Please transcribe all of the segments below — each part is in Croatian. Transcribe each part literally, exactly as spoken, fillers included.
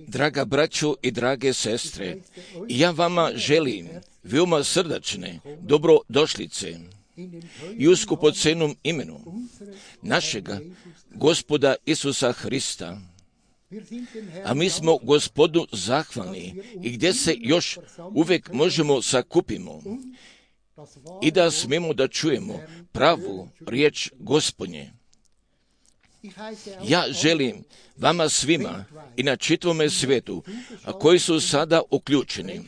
Draga braćo i drage sestre, ja vama želim veoma srdačne dobrodošlice i u skupocenom imenu našega Gospoda Isusa Hrista. A mi smo Gospodu zahvalni i gdje se još uvijek možemo sakupimo i da smemo da čujemo pravu riječ Gospodnje. Ja želim vama svima i na čitavome svijetu, a koji su sada uključeni,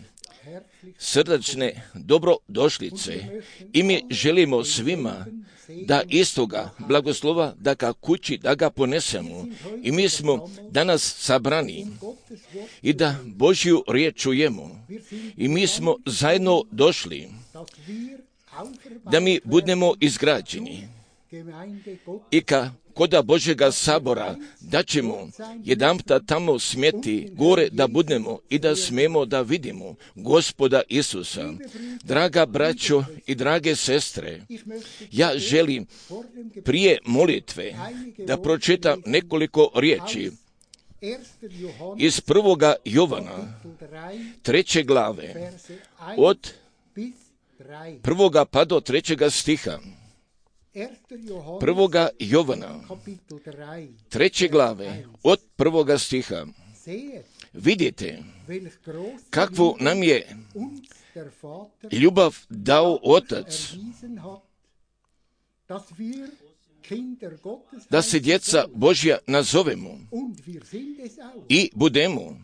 srdačne dobrodošlice i mi želimo svima da istoga blagoslova, da ga kući, da ga ponesemo. I mi smo danas sabrani i da Božju riječ čujemo. I mi smo zajedno došli da mi budemo izgrađeni i ka koda Božjega sabora, da ćemo jedanputa tamo smjeti gore da budemo i da smemo da vidimo Gospoda Isusa. Draga braćo i drage sestre, ja želim prije molitve da pročitam nekoliko riječi iz prvoga Jovana, treće glave, od prvoga pa do trećega stiha. Prvoga Jovana, treće glave, od prvoga stiha. Vidite kakvu nam je ljubav dao Otac, da se djeca Božja nazovemo i budemo.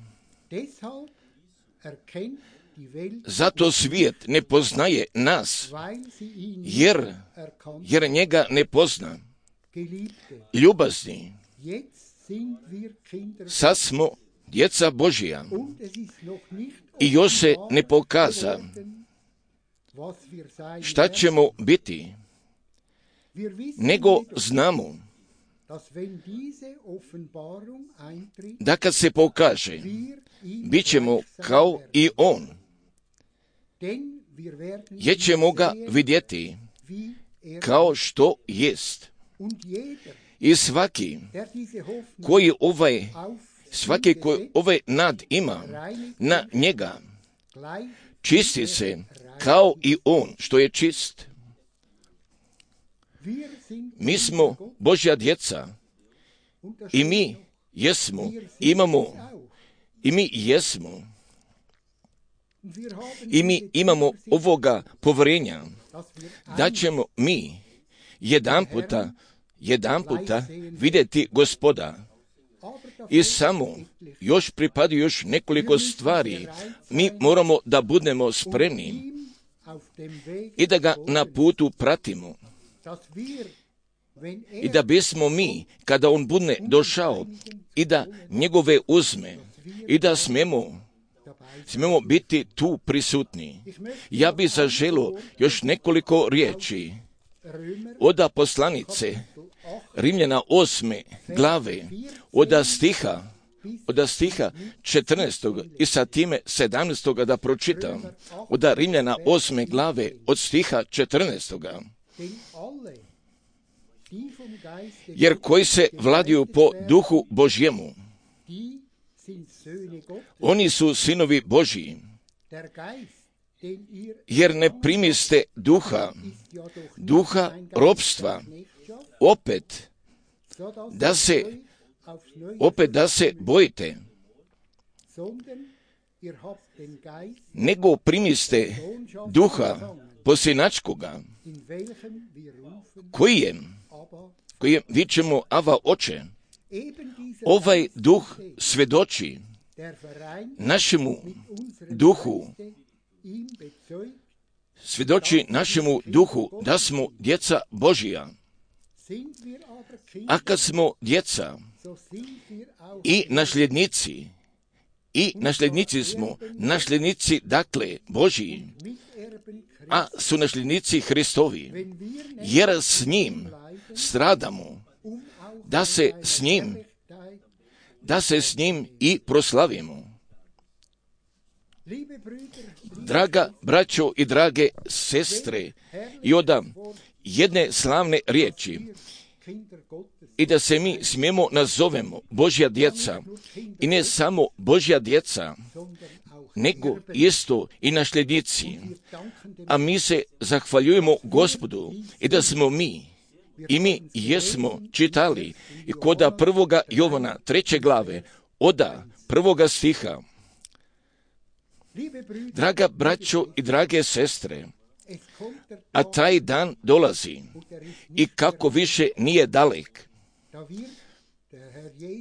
Zato svijet ne poznaje nas, jer, jer njega ne pozna. Ljubazni, sad smo djeca Božja i još se ne pokaza šta ćemo biti, nego znamo da kad se pokaže, bit ćemo kao i On, jer ćemo ga vidjeti kao što jest. I svaki koji ovaj, svaki koji ovaj nad ima na njega, čisti se kao i On što je čist. Mi smo Božja djeca i mi jesmo, imamo, i mi jesmo. I mi imamo ovoga povjerenja da ćemo mi jedan puta, jedan puta vidjeti Gospoda. I samo još pripadaju još nekoliko stvari. Mi moramo da budemo spremni i da ga na putu pratimo. I da bismo mi, kada on bude došao, i da njegove uzme, i da smemo smemo biti tu prisutni. Ja bih zaželio još nekoliko riječi od poslanice Rimljana osme glave, od stiha, od stiha četrnaestog i sa time sedamnaestog da pročitam. Od Rimljana osme glave, od stiha četrnaestog. Jer koji se vladiju po duhu Božjemu, oni su sinovi Božji, jer ne primiste duha, duha ropstva, opet da se, opet da se bojite, nego primiste duha posinačkoga, koji je, koji je, vičemo Ava Oče. Ovaj duh svedoči našemu duhu, svjedoči našemu duhu da smo djeca Božija. A kad smo djeca i nasljednici, i nasljednici smo, nasljednici dakle Božiji, a su nasljednici Hristovi, jer s njim stradamo, da se s njim, da se s njim i proslavimo. Draga braćo i drage sestre, i od jedne slavne riječi, i da se mi smijemo nazovemo Božja djeca, i ne samo Božja djeca, nego isto i nasljednici. A mi se zahvaljujemo Gospodu i da smo mi, i mi jesmo čitali i koda prvoga Jovana treće glave, oda prvoga stiha. Draga braćo i drage sestre, a taj dan dolazi i kako više nije dalek,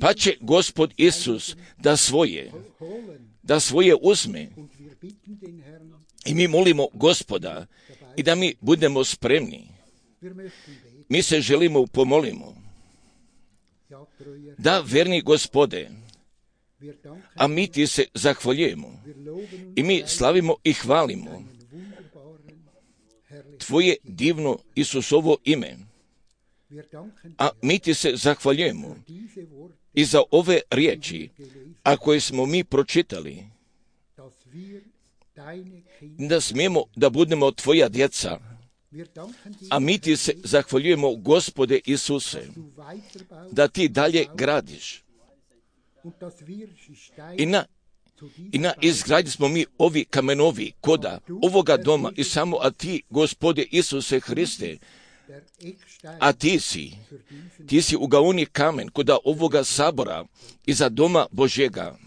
pa će Gospod Isus da svoje, da svoje uzme. I mi molimo Gospoda i da mi budemo spremni. Mi se želimo pomolimo. Da, verni Gospode, a mi ti se zahvaljujemo i mi slavimo i hvalimo tvoje divno Isusovo ime. A mi ti se zahvaljujemo i za ove riječi, a koje smo mi pročitali, da smijemo da budemo tvoja djeca. A mi ti se zahvaljujemo, Gospode Isuse, da ti dalje gradiš. I na, i na izgradnji smo mi ovi kamenovi koda ovoga doma i samo a ti, Gospode Isuse Hriste, a ti si, ti si ugaoni kamen koda ovoga sabora i za doma Božjega.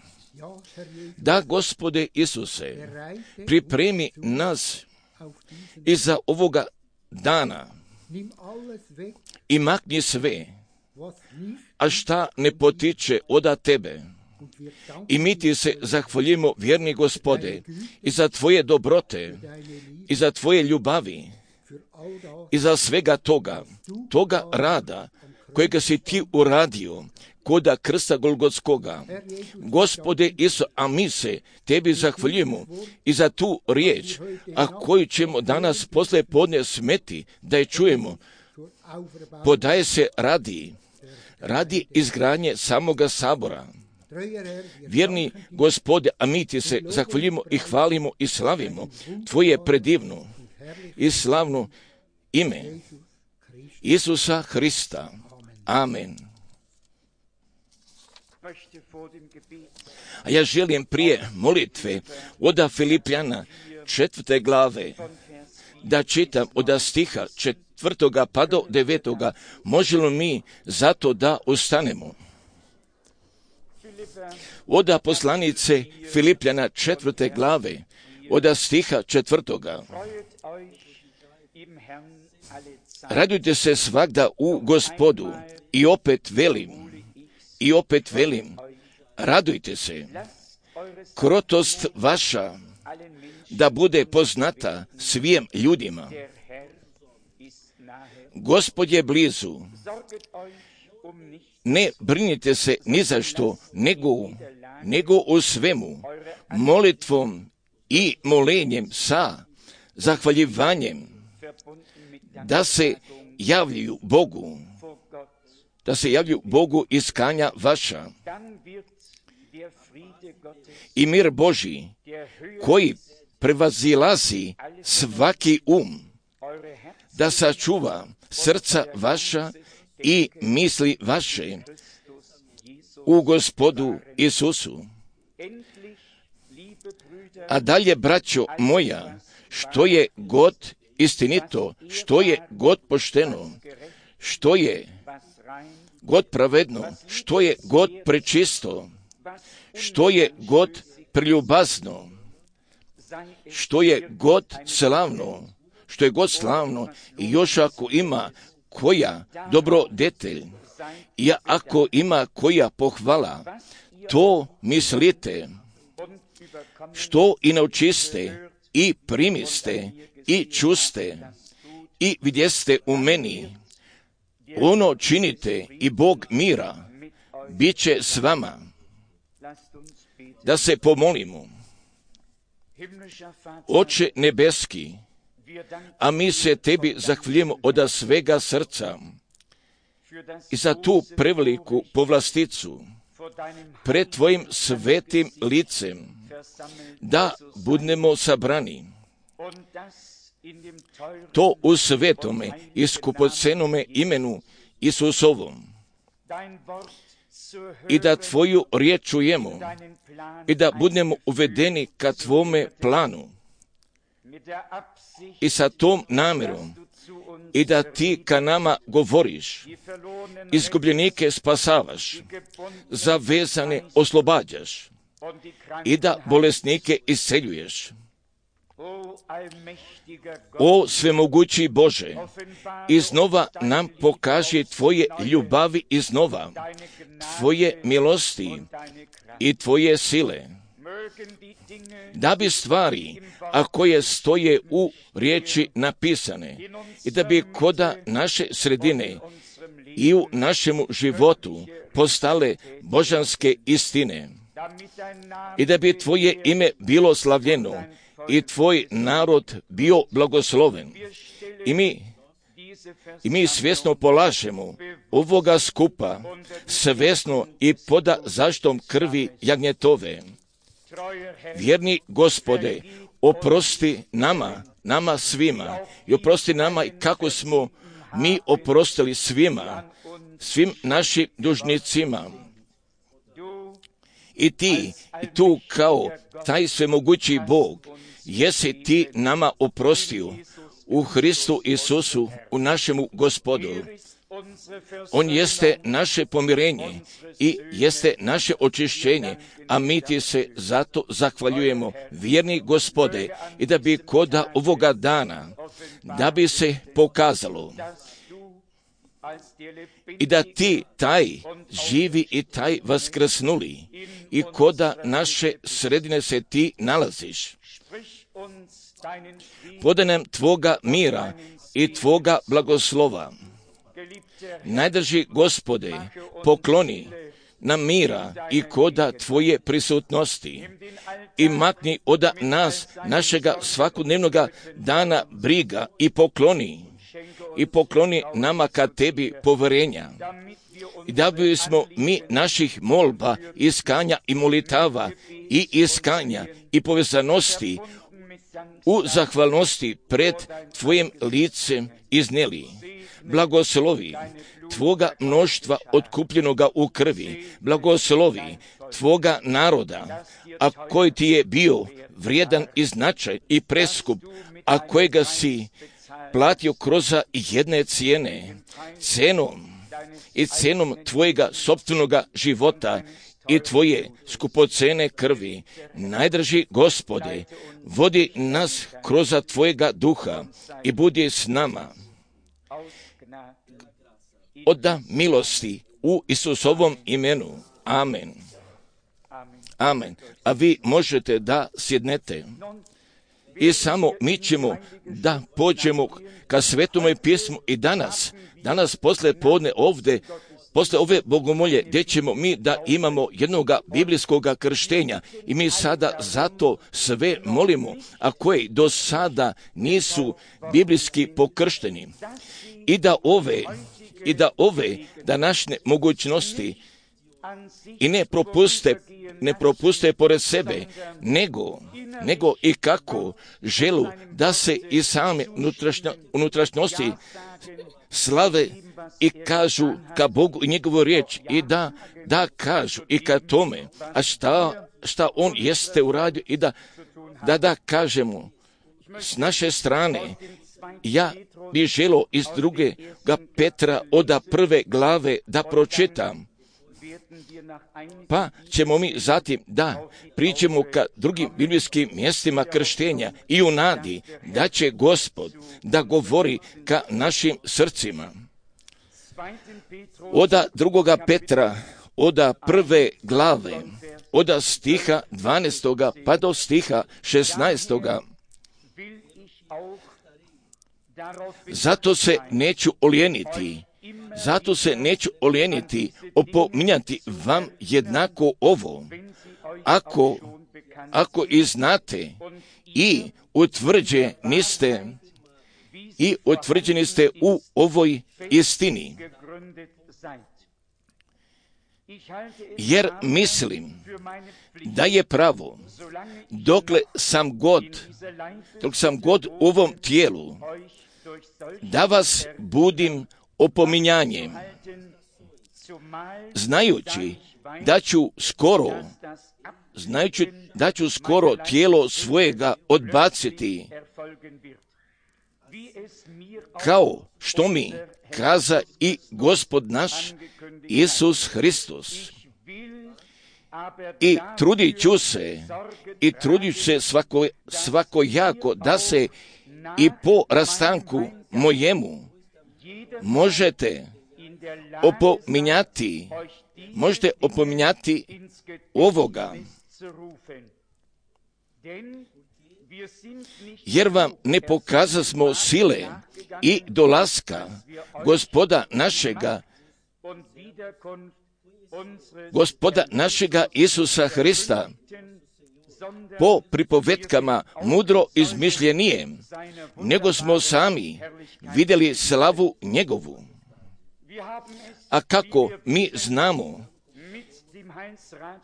Da, Gospode Isuse, pripremi nas i za ovoga dana i makni sve, a šta ne potiče od tebe. I mi ti se zahvaljujemo, vjerni Gospode, i za tvoje dobrote, i za tvoje ljubavi, i za svega toga, toga rada kojega si ti uradio koda krsta Golgotskoga. Gospode Isu, a mi se tebi zahvaljujemo i za tu riječ, a koju ćemo danas posle podne smeti da je čujemo, podaje se radi, radi izgradnje samoga sabora. Vjerni Gospode, a mi ti se zahvaljujemo i hvalimo i slavimo tvoje predivno i slavno ime Isusa Hrista. Amen. A ja želim prije molitve od Filipljana četvrte glave da čitam od stiha četvrtoga pa do devetoga. Možemo mi zato da ustanemo? Od poslanice Filipljana četvrte glave od stiha četvrtoga. Radujte se svagda u Gospodu i opet velim, i opet velim, radujte se. Krotost vaša da bude poznata svim ljudima. Gospod je blizu. Ne brinite se ni za što, nego, nego u svemu, molitvom i molenjem sa zahvaljivanjem, da se javljaju Bogu, da se javljaju Bogu iskanja vaša. I mir Božji, koji prevazilazi svaki um, da sačuva srca vaša i misli vaše u Gospodu Isusu. A dalje, braćo moja, što je god istinito, što je god pošteno, što je god pravedno, što je god prečisto, što je god preljubazno, što je god slavno, što je god slavno, i još ako ima koja dobrodetelj, i ako ima koja pohvala, to mislite, što i naučiste, i primiste, i čuste, i vidjeste u meni, ono činite i Bog mira bit će s vama. Da se pomolimo. Oče nebeski, a mi se tebi zahvaljujemo od svega srca i za tu preveliku povlasticu pred tvojim svetim licem, da budemo sabrani. To u svetome i skupocenome imenu Isusovom. I da tvoju riječ čujemo i da budemo uvedeni ka tvome planu i sa tom namjerom i da ti ka nama govoriš, izgubljenike spasavaš, zavezane oslobađaš i da bolesnike isceljuješ. O svemogući Bože, iznova nam pokaži tvoje ljubavi iznova, tvoje milosti i tvoje sile, da bi stvari, a koje stoje u riječi napisane, i da bi koda naše sredine i u našemu životu postale božanske istine, i da bi tvoje ime bilo slavljeno i tvoj narod bio blagosloven. I mi, i mi svjesno polažemo ovoga skupa, svjesno i poda zaštom krvi jagnjetove. Vjerni Gospode, oprosti nama, nama svima, i oprosti nama i kako smo mi oprostili svima, svim našim dužnicima. I ti, i tu kao taj svemogući Bog, jesi ti nama oprostio u Hristu Isusu, u našemu Gospodu. On jeste naše pomirenje i jeste naše očišćenje, a mi ti se zato zahvaljujemo, vjerni Gospode, i da bi koda ovoga dana, da bi se pokazalo i da ti taj živi i taj vaskrsnuli i koda naše sredine se ti nalaziš. Podaj nam tvoga mira i tvoga blagoslova. Najdrži Gospode, pokloni nam mira i koda tvoje prisutnosti i makni oda nas, našega svakodnevnoga dana briga i pokloni. I pokloni nama ka tebi poverenja. I da bismo mi naših molba, iskanja i molitava i iskanja i povezanosti u zahvalnosti pred tvojim licem iznijeli. Blagoslovi tvoga mnoštva otkupljenoga u krvi, blagoslovi tvoga naroda, a koji ti je bio vrijedan i značaj i preskup, a kojega si platio kroz jedne cijene, cenom i cenom tvojega sopstvenoga života i tvoje skupocene krvi. Najdrži Gospode, vodi nas kroz tvojega duha i budi s nama. Oda milosti u Isusovom imenu. Amen. Amen. A vi možete da sjednete. I samo mi ćemo da pođemo ka Svetomoj pismu i danas, danas posle podne ovdje, posle ove bogomolje, gdje ćemo mi da imamo jednoga biblijskoga krštenja i mi sada zato sve molimo, a koji do sada nisu biblijski pokršteni. I da ove, i da ove današnje mogućnosti i ne propuste, ne propuste pored sebe, nego, nego i kako želu da se i same unutrašnjo, unutrašnjosti slave i kažu ka Bogu i njegovu riječ i da, da kažu i ka tome, a šta, šta on jeste uradio i da, da, da kažemo s naše strane. Ja bih želio iz druge Petra oda prve glave da pročitam. Pa ćemo mi zatim da priđemo ka drugim biblijskim mjestima krštenja i u nadi da će Gospod da govori ka našim srcima. Oda drugoga Petra, od prve glave, od stiha dvanaestoga pa do stiha šesnaestoga. Zato se neću olijeniti, zato se neću olijeniti, opominjati vam jednako ovo, ako, ako i znate i utvrđeni ste, i utvrđeni ste u ovoj istini. Jer mislim da je pravo, dokle sam god, dok sam god u ovom tijelu, da vas budim opominjanjem, znajući da ću skoro, znajući da ću skoro tijelo svojega odbaciti, kao što mi kaza i Gospod naš Isus Hristos. I trudit ću se, i trudit ću se svako, svakojako da se i po rastanku mojemu možete opominjati, možete opominjati ovoga, jer vam ne pokazasmo sile i dolaska Gospoda našega, Gospoda našega Isusa Hrista, po pripovetkama mudro izmišljenije, nego smo sami vidjeli slavu njegovu. A kako mi znamo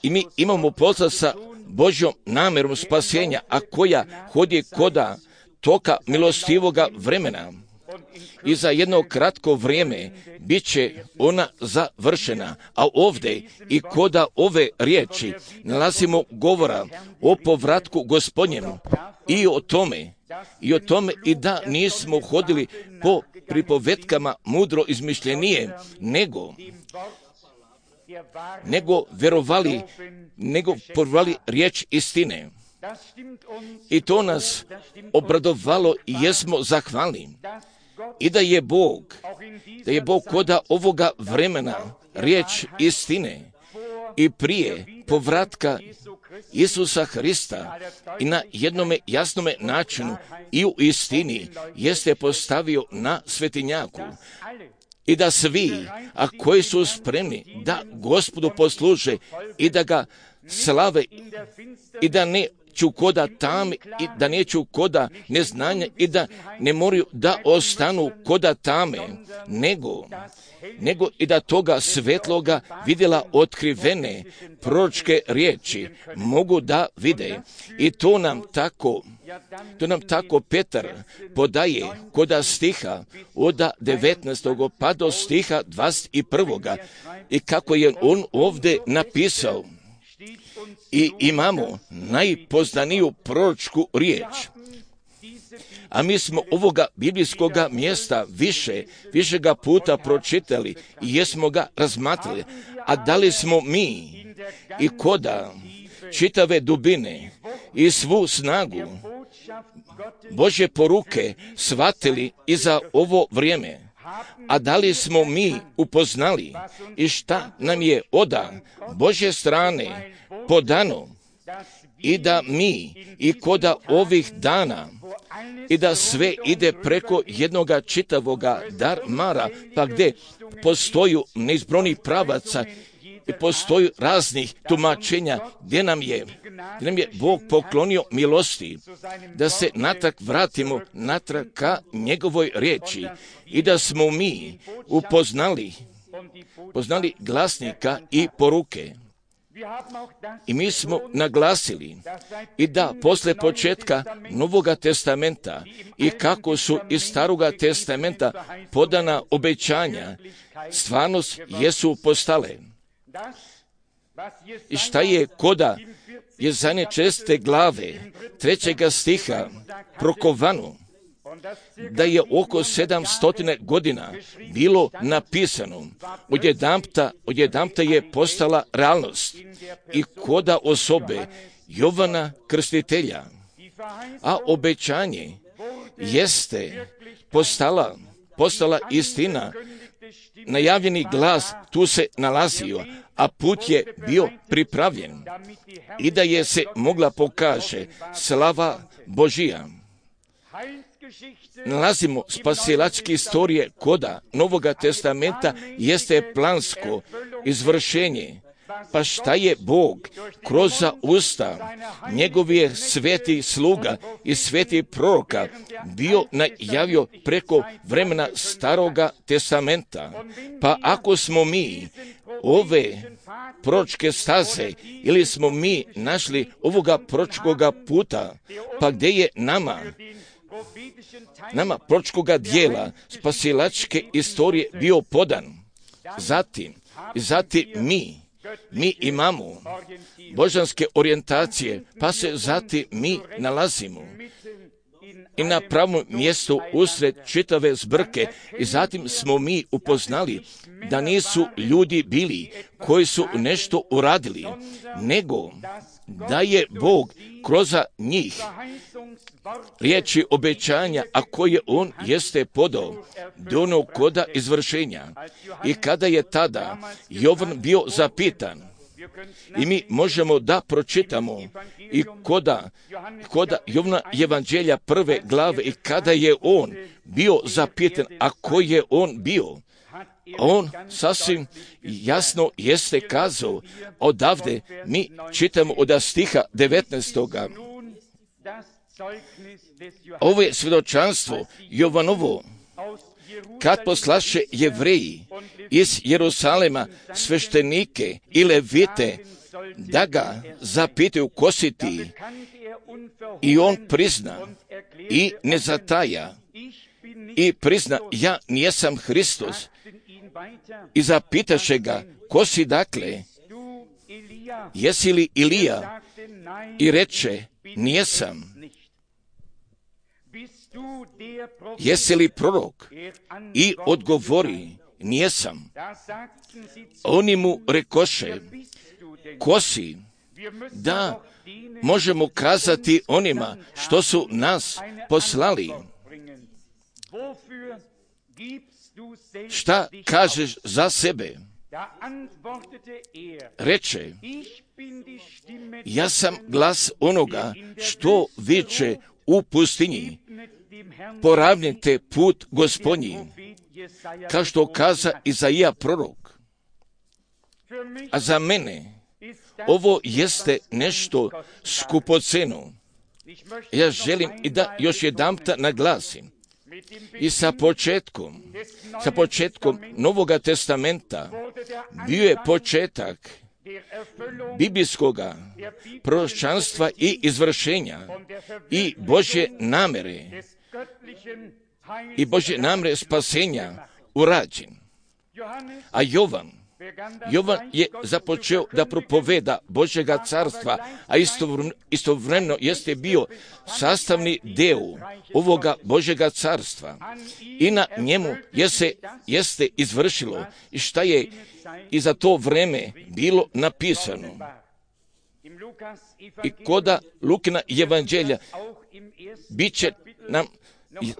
i mi imamo posla sa Božjom namjerom spasenja, a koja hodi koda toka milostivoga vremena, i za jedno kratko vrijeme bit će ona završena. A ovdje i koda ove riječi nalazimo govora o povratku Gospodnjem i o tome, i o tome i da nismo hodili po pripovetkama mudro izmišljenije, nego nego verovali, nego povjerovali riječ istine. I to nas obradovalo i jesmo zahvalni. I da je Bog, da je Bog koda ovoga vremena riječ istine i prije povratka Isusa Hrista i na jednome jasnome načinu i u istini jeste postavio na svetinjaku. I da svi, a koji su spremni da Gospodu posluže i da ga slave i da ne ću koda tam i da neću koda neznanja i da ne moraju da ostanu koda tame, nego, nego i da toga svetloga vidjela otkrivene proročke riječi mogu da vide. I to nam tako, to nam tako Petar podaje koda stiha od devetnaestog pa do stiha dvadeset prvog. I kako je on ovdje napisao, i imamo najpoznaniju proročku riječ. A mi smo ovoga biblijskoga mjesta više, višega puta pročitali i jesmo ga razmatrali. A da li smo mi i koda čitave dubine i svu snagu Božje poruke shvatili i za ovo vrijeme? A da li smo mi upoznali i šta nam je oda Božje strane podano i da mi i koda ovih dana i da sve ide preko jednoga čitavoga darmara, pa gdje postoju neizbrojnih pravaca i postoju raznih tumačenja gdje nam je, gdje nam je Bog poklonio milosti da se natrag vratimo natrag ka njegovoj riječi i da smo mi upoznali poznali glasnika i poruke. I mi smo naglasili i da posle početka Novoga testamenta i kako su iz Staroga testamenta podana obećanja, stvarnost jesu postale. I šta je koda Jezajne česte glave trećega stiha prokovano, da je oko sedamstotine godina bilo napisano, odjedanpta, odjedanpta je postala realnost i koda osobe Jovana Krstitelja, a obećanje jeste postala, postala istina najavljeni glas tu se nalazio, a put je bio pripravljen i da je se mogla pokaže slava Božija. Nalazimo spasilačke istorije koda Novoga testamenta jeste plansko izvršenje. Pa šta je Bog kroz usta njegovih svetih sluga i svetih proroka bio najavio preko vremena Staroga testamenta? Pa ako smo mi ove proročke staze ili smo mi našli ovoga proročkoga puta, pa gdje je nama nama proročkoga dijela spasilačke istorije bio podan? Zatim, zatim mi Mi imamo božanske orijentacije, pa se zatim mi nalazimo i na pravom mjestu usred čitave zbrke i zatim smo mi upoznali da nisu ljudi bili koji su nešto uradili, nego da je Bog kroz njih riječi obećanja, a koje on jeste podao do onog koda izvršenja. I kada je tada Jovan bio zapitan, i mi možemo da pročitamo i koda, koda Jovana evanđelja prve glave, i kada je on bio zapitan, a koji je on bio, on sasvim jasno jeste kazao, odavde mi čitamo od stiha devetnaestoga. Ovo je svjedočanstvo Jovanovo, kad poslaše Jevreji iz Jerusalema sveštenike i levite da ga zapitaju ko si ti, i on prizna i ne zataja i prizna, ja nijesam Hristos, i zapitaše ga, ko si dakle, jesi li Ilija, i reče, nijesam. Jesi li prorok? I odgovori, nijesam. Oni mu rekoše, ko si? Da možemo kazati onima što su nas poslali. Šta kažeš za sebe? Reče, ja sam glas onoga što viče u pustinji, poravnite put Gospodnji, kao što kaza Izaija prorok. A za mene ovo jeste nešto skupoceno. Ja želim i da još jedanputa naglasim, i sa početkom, sa početkom Novoga testamenta bio je početak biblijskoga proročanstva i izvršenja i Božje namere i Božje namere spasenja urađen. A Jovan, Jovan je započeo da propoveda Božjega carstva, a istovremeno jeste bio sastavni deo ovoga Božjega carstva. I na njemu jeste, jeste izvršilo i šta je i za to vreme bilo napisano. I koda Lukina evanđelja bit će nam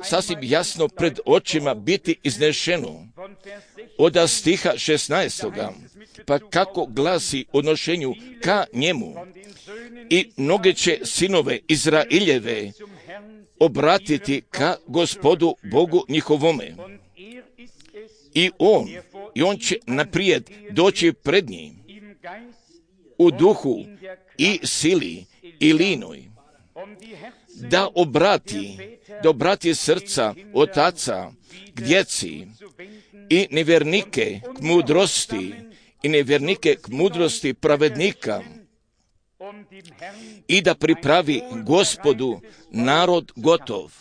sasvim jasno pred očima biti iznešeno od stiha šesnaestoga, pa kako glasi odnošenju ka njemu, i mnoge će sinove Izraeljeve obratiti ka Gospodu Bogu njihovome. I on, i on će naprijed doći pred njim u duhu i sili i linoj, da obrati, da obrati srca otaca k djeci i nevjernike k mudrosti i nevjernike k mudrosti pravednika, i da pripravi Gospodu narod gotov.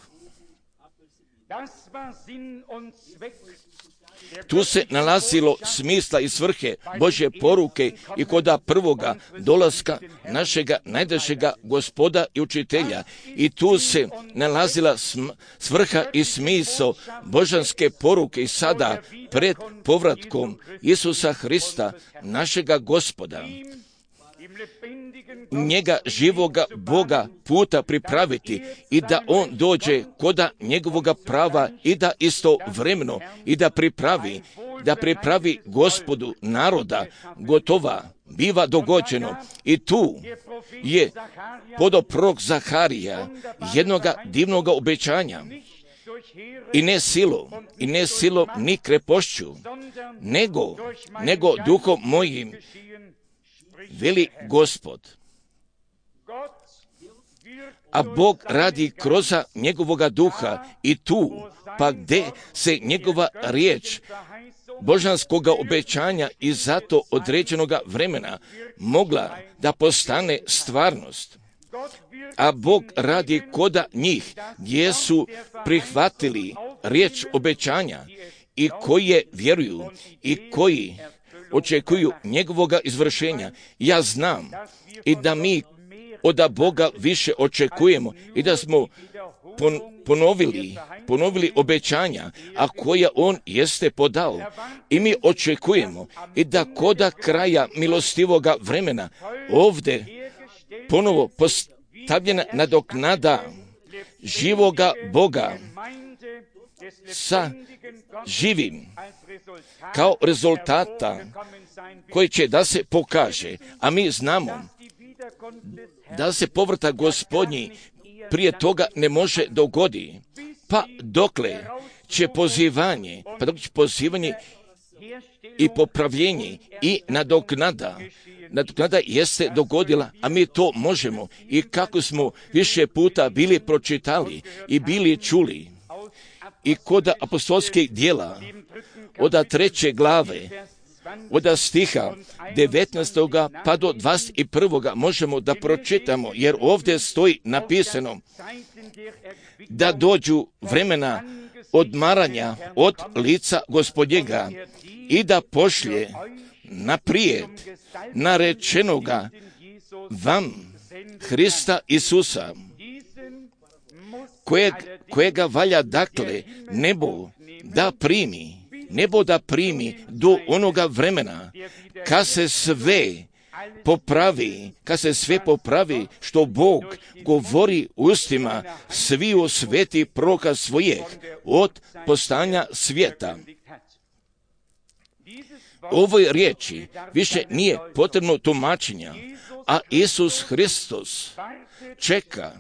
Tu se nalazilo smisla i svrhe Božje poruke i koda prvoga dolaska našega najdražega Gospoda i učitelja. I tu se nalazila svrha i smisao božanske poruke i sada pred povratkom Isusa Hrista, našega Gospoda. njega živoga Boga puta pripraviti i da on dođe koda njegovoga prava i da istovremeno i da pripravi, da pripravi Gospodu naroda gotova, biva dogođeno. I tu je podoprok Zaharija jednoga divnoga obećanja. I ne silom, i ne silom ni krepošću, nego, nego duhom mojim, veli Gospod. A Bog radi kroz njegovoga duha i tu, pa gde se njegova riječ božanskoga obećanja i zato određenoga vremena mogla da postane stvarnost. A Bog radi koda njih gdje su prihvatili riječ obećanja i koji vjeruju i koji očekuju njegovoga izvršenja. Ja znam i da mi od Boga više očekujemo i da smo pon, ponovili, ponovili obećanja, a koja on jeste podao. I mi očekujemo i da koda kraja milostivoga vremena ovdje ponovo postavljena nadoknada živoga Boga sa živim kao rezultata koji će da se pokaže, a mi znamo da se povrata Gospodnji prije toga ne može dogoditi, pa dokle će pozivanje, pa dok će pozivanje i popravljenje i nadoknada, nadoknada jeste dogodila, a mi to možemo i kako smo više puta bili pročitali i bili čuli i kod apostolskih djela od treće glave, od stiha devetnaestog pa do dvadeset prvog možemo da pročitamo, jer ovdje stoji napisano da dođu vremena odmaranja od lica Gospodnjega i da pošlje naprijed narečenoga vam Hrista Isusa, kojeg, kojega valja dakle nebo da primi, nebo da primi do onoga vremena kad se sve popravi, kad se sve popravi što Bog govori ustima sviju sveti proroka svojih od postanja svijeta. Ovoj riječi više nije potrebno tumačenja, a Isus Hristos čeka,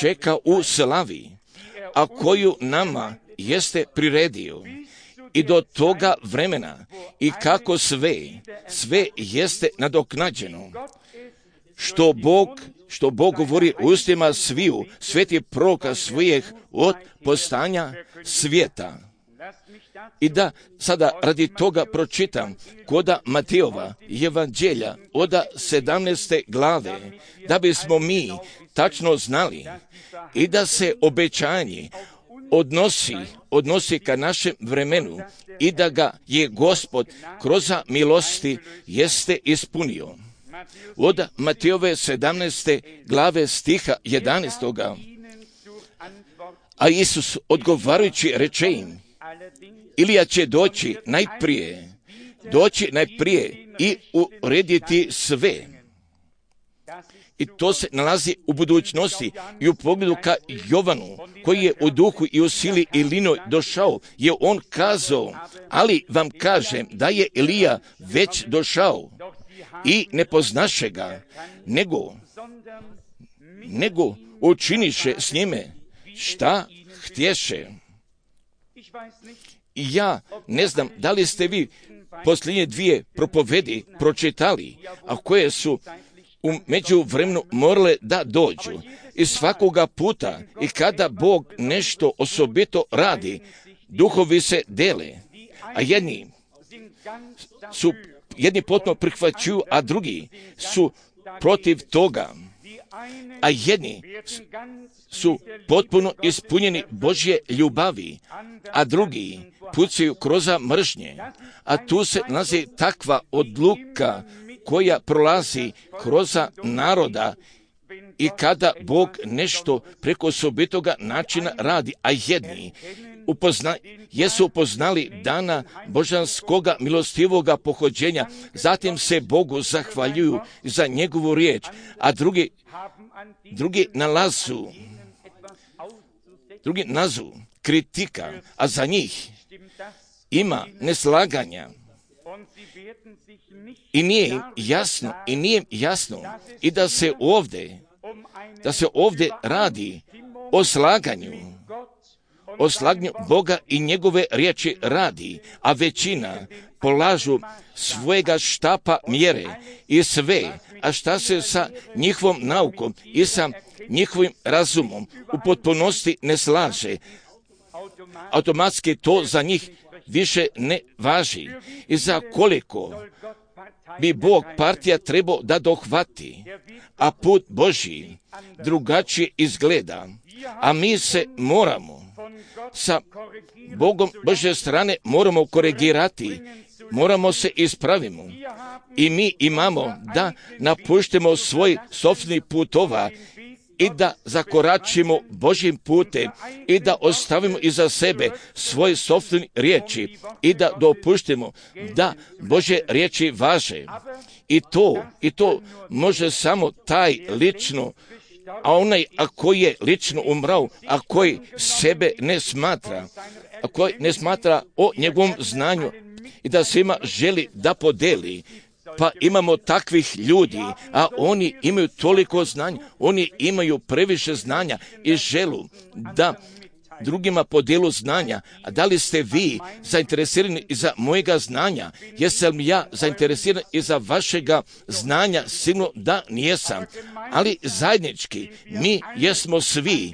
čeka u slavi, a koju nama jeste priredio. I do toga vremena i kako sve, sve jeste nadoknađeno. Što Bog, što Bog govori ustima sviju sveti proroka svojih od postanja svijeta. I da sada radi toga pročitam koda Matejova evanđelja od sedamnaeste glave, da bismo mi tačno znali i da se obećanje odnosi, odnosi ka našem vremenu i da ga je Gospod kroz milosti jeste ispunio. Od Matejove sedamnaeste glave stiha jedanaestog. A Isus odgovarajući reče im, Ilija će doći najprije, doći najprije i urediti sve. I to se nalazi u budućnosti i u pogledu ka Jovanu, koji je u duhu i u sili i linoj došao, je on kazao, ali vam kažem da je Ilija već došao i ne poznaše ga, nego, nego učiniše s njime šta htješe. I ja ne znam da li ste vi posljednje dvije propovedi pročitali, a koje su u međuvremenu morale da dođu. I svakoga puta i kada Bog nešto osobito radi, duhovi se dele, a jedni su jedni potpuno prihvaćuju, a drugi su protiv toga, a jedni su potpuno ispunjeni Božje ljubavi, a drugi pucaju kroz mržnje, a tu se nalazi takva odluka koja prolazi kroz naroda i kada Bog nešto preko osobitoga načina radi, a jedni upozna, jesu upoznali dana božanskoga milostivoga pohođenja, zatim se Bogu zahvaljuju za njegovu riječ, a drugi, drugi nalazu, drugi nazu kritika, a za njih ima neslaganja. I nije im jasno, i nije im jasno, i da se ovdje, da se ovdje radi o slaganju, o slaganju Boga i njegove riječi radi, a većina polažu svojega štapa mjere i sve, a šta se sa njihovom naukom i sa njihovim razumom u potpunosti ne slaže, automatski to za njih više ne važi. I za koliko bi Bog partija trebao da dohvati, a put Božji drugačije izgleda, a mi se moramo sa Bogom Božje strane moramo korigirati, moramo se ispravimo. I mi imamo da napuštimo svoj sopstveni putova i da zakoračimo Božjim putem i da ostavimo iza sebe svoje sopstvene riječi i da dopuštimo da Božje riječi važe. I to, i to može samo taj lično, a onaj a koji je lično umrao, a koji sebe ne smatra, a koji ne smatra o njegovom znanju i da svima želi da podeli. Pa imamo takvih ljudi, a oni imaju toliko znanja, oni imaju previše znanja i želu da drugima podijelu znanja. A da li ste vi zainteresirani i za mojega znanja? Jesam li ja zainteresiran i za vašega znanja? Sigurno da nijesam. Ali zajednički mi jesmo svi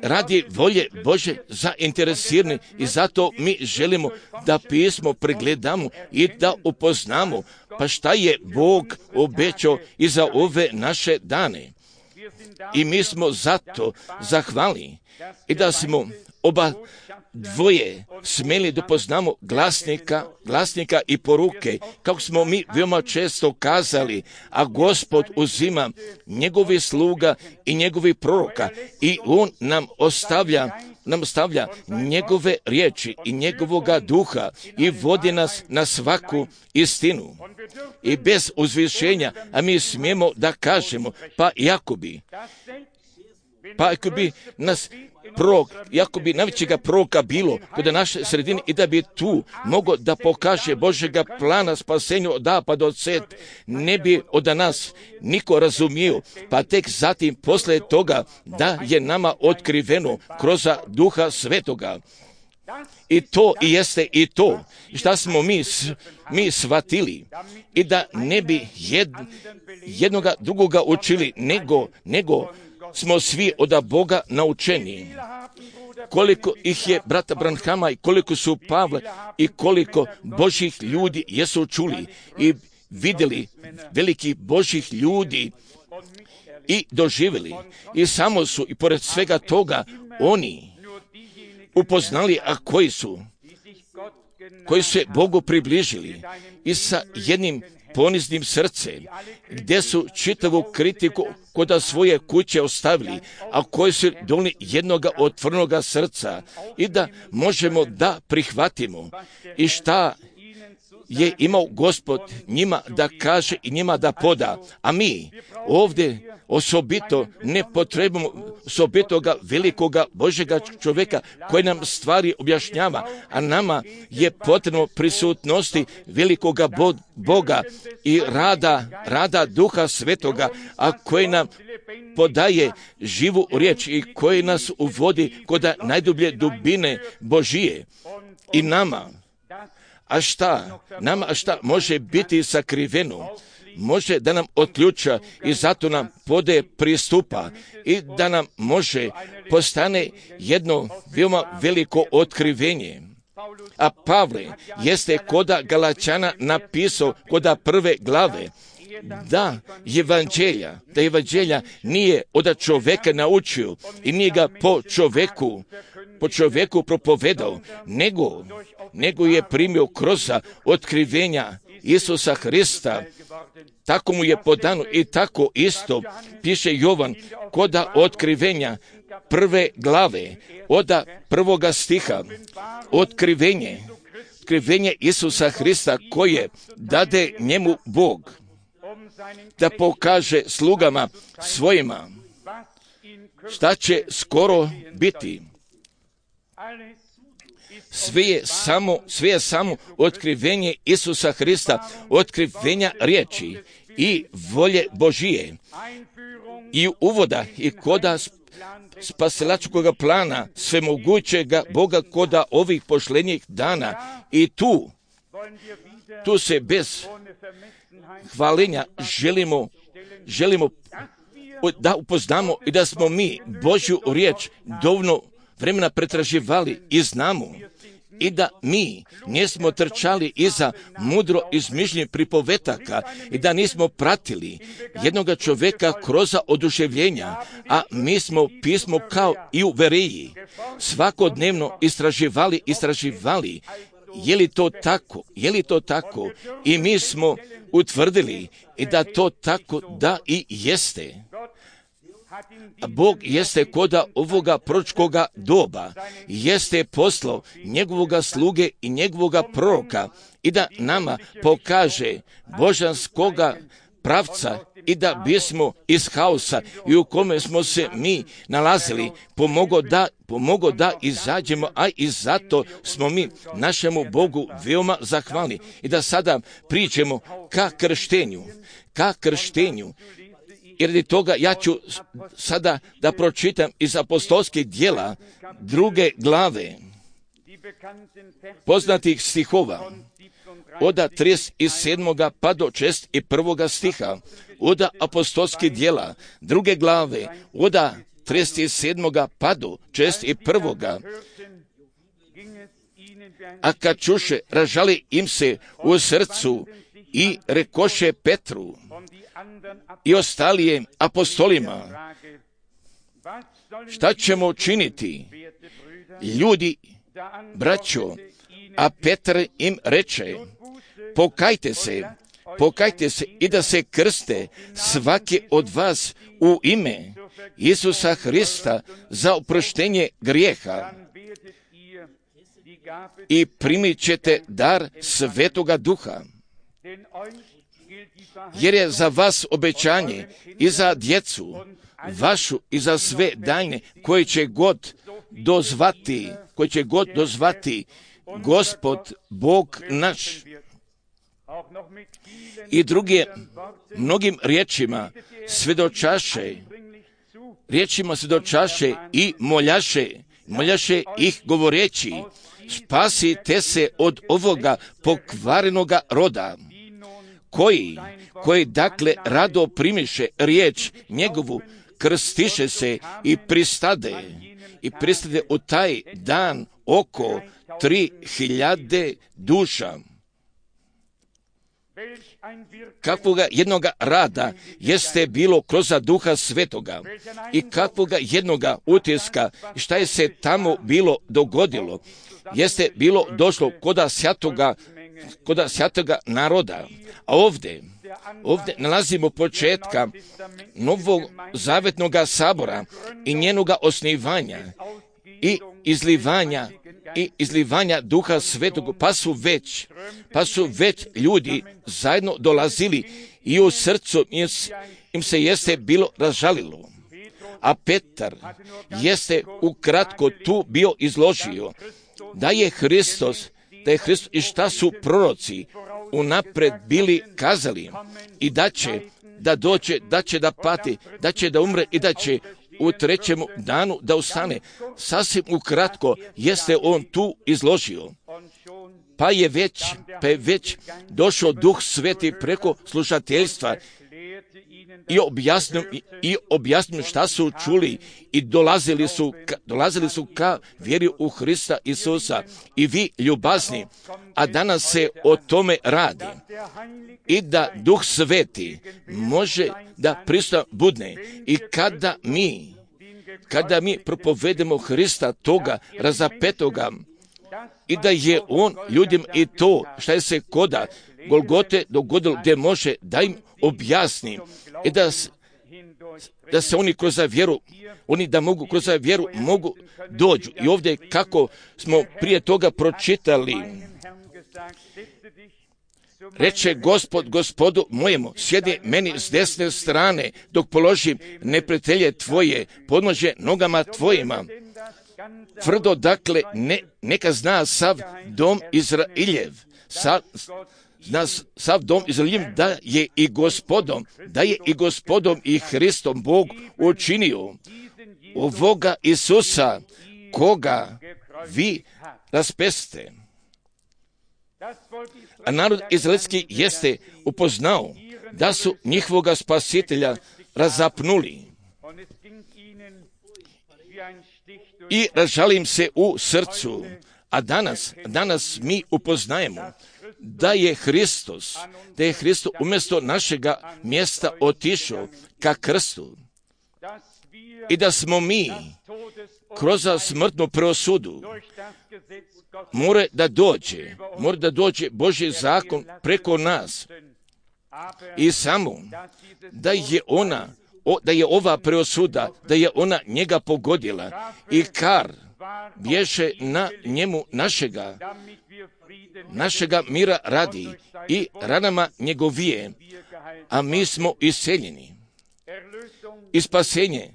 radi volje Bože zainteresirani i zato mi želimo da pismo pregledamo i da upoznamo pa šta je Bog obećao i za ove naše dane. I mi smo zato zahvalni i da smo oba dvoje smeli da poznamo glasnika, glasnika i poruke, kako smo mi veoma često kazali, a Gospod uzima njegovi sluga i njegovi proroka i on nam ostavlja nam stavlja njegove riječi i njegovoga duha i vodi nas na svaku istinu. I bez uzvišenja, a mi smijemo da kažemo, pa jako bi, pa ako bi nas prorok, jako bi najvećega proroka bilo kod naše sredine i da bi tu mogao da pokaže Božjega plana spasenja od A pa do Z, ne bi od nas niko razumio, pa tek zatim posle toga da je nama otkriveno kroz Duha Svetoga. I to i jeste i to šta smo mi, mi shvatili i da ne bi jed, jednoga drugoga učili, nego, nego smo svi od Boga naučeni. Koliko ih je brata Branhama i koliko su Pavle i koliko Božjih ljudi jesu čuli i vidjeli velikih Božjih ljudi i doživjeli. I samo su i pored svega toga oni upoznali, a koji su, koji su se Bogu približili i sa jednim poniznim srcem, gdje su čitavu kritiku kod svoje kuće ostavili, a koji su donijeli jednoga otvorenoga srca i da možemo da prihvatimo i šta je imao Gospod njima da kaže i njima da poda. A mi ovdje osobito ne potrebujemo osobitoga velikoga Božjega čovjeka koji nam stvari objašnjava, a nama je potrebno prisutnosti velikoga Boga i rada, rada Duha Svetoga, a koji nam podaje živu riječ i koji nas uvodi kod najdublje dubine Božije. I nama, a šta, nama, a šta može biti sakriveno, može da nam otključa i zato nam podaje pristupa i da nam može postane jedno veoma veliko otkrivenje. A Pavle jeste koda Galačana napisao koda prve glave da evanđelja, da evanđelja nije od čoveka naučio i nije ga po čoveku po čovjeku propovedao, nego, nego je primio kroz otkrivenja Isusa Hrista. Tako mu je podano i tako isto piše Jovan kod otkrivenja prve glave, od prvoga stiha. Otkrivenje, otkrivenje Isusa Hrista koje dade njemu Bog da pokaže slugama svojima šta će skoro biti. Sve je samo, sve je samo otkrivenje Isusa Hrista, otkrivenja riječi i volje Božije i uvoda i koda spasilačkog plana svemogućega Boga koda ovih pošlenjih dana. I tu, tu se bez hvalenja želimo, želimo da upoznamo i da smo mi Božju riječ dovoljno vremena pretraživali i znamo i da mi nismo trčali iza mudro izmišljenih pripovetaka i da nismo pratili jednoga čovjeka kroz oduševljenja, a mi smo pismo kao i u Veriji svakodnevno istraživali, istraživali je li to tako, je li to tako i mi smo utvrdili i da to tako da i jeste. A Bog jeste koda ovoga proročkoga doba, jeste poslao njegovoga sluge i njegovoga proroka i da nama pokaže božanskoga pravca i da bismo iz haosa i u kome smo se mi nalazili pomogo da, pomogo da izađemo, a i zato smo mi našemu Bogu veoma zahvalni i da sada priđemo ka krštenju, ka krštenju. Jer radi toga ja ću sada da pročitam iz apostolskih djela druge glave poznatih stihova od trideset sedmog pa do šezdeset prvog stiha, od apostolskih djela druge glave od trideset sedmog pa do šezdeset prvog. A kad čuše, ražali im se u srcu i rekoše Petru i ostalije apostolima, šta ćemo učiniti? Ljudi, braćo, a Petar im reče, pokajte se, pokajte se i da se krste svaki od vas u ime Isusa Hrista za oproštenje grijeha i primit ćete dar Svetoga Duha. Jer je za vas obećanje i za djecu vašu i za sve daljne koji će god dozvati, koji će god dozvati Gospod Bog naš. I druge mnogim riječima svjedočaše, riječima svjedočaše i moljaše, moljaše ih govoreći, spasite se od ovoga pokvarenoga roda, koji, koji dakle rado primiše riječ njegovu, krstiše se i pristade, i pristade u taj dan oko tri hiljade duša. Kakvoga jednoga rada jeste bilo kroz Duha Svetoga i kakvoga jednoga utiska, šta je se tamo bilo dogodilo, jeste bilo došlo koda sjatoga, koda sjatoga naroda. A ovdje, ovdje nalazimo početka novog zavetnog sabora i njenoga osnivanja i izlivanja i izlivanja Duha Svetog, pa su već, pa su već ljudi zajedno dolazili i u srcu im se jeste bilo razžalilo. A Petar jeste ukratko tu bio izložio da je Hristos, da je Hristos i šta su proroci unapred bili kazali i da će da dođe, da će da pati, da će da umre i da će u trećem danu da ustane. Sasvim ukratko jeste on tu izložio. Pa je već, pa je već došao Duh Sveti preko slušateljstva i objasnio, i objasnio šta su čuli i dolazili su, dolazili su ka vjeri u Hrista Isusa. I vi ljubazni, a danas se o tome radi. I da Duh Sveti može da prisutno budne i kada mi kada mi propovedemo Hrista toga razapetoga i da je On ljudima i to šta je se koda Golgote dogodilo gdje može da im objasni i da, da se oni kroz vjeru, oni da mogu kroz vjeru mogu dođu. I ovdje kako smo prije toga pročitali, reče Gospod Gospodu mojemu, sjedi meni s desne strane, dok položim neprijatelje tvoje, podnože nogama tvojima. Tvrdo dakle, ne, neka zna sav dom Izrailjev, sa, zna sav dom Izrailjev da je i Gospodom, da je i Gospodom i Hristom Bog učinio ovoga Isusa, koga vi raspeste. A narod izraelski jeste upoznao da su njihovoga spasitelja razapnuli i razžalim se u srcu. A danas, danas mi upoznajemo da je Hristos, da je Hristos umjesto našega mjesta otišao ka krstu i da smo mi kroz smrtnu preosudu mora da dođe, mora da dođe Božji zakon preko nas i samo da je ona, da je ova preosuda, da je ona njega pogodila i kar bješe na njemu našega, našega mira radi i ranama njegovije, a mi smo iseljeni. I spasenje,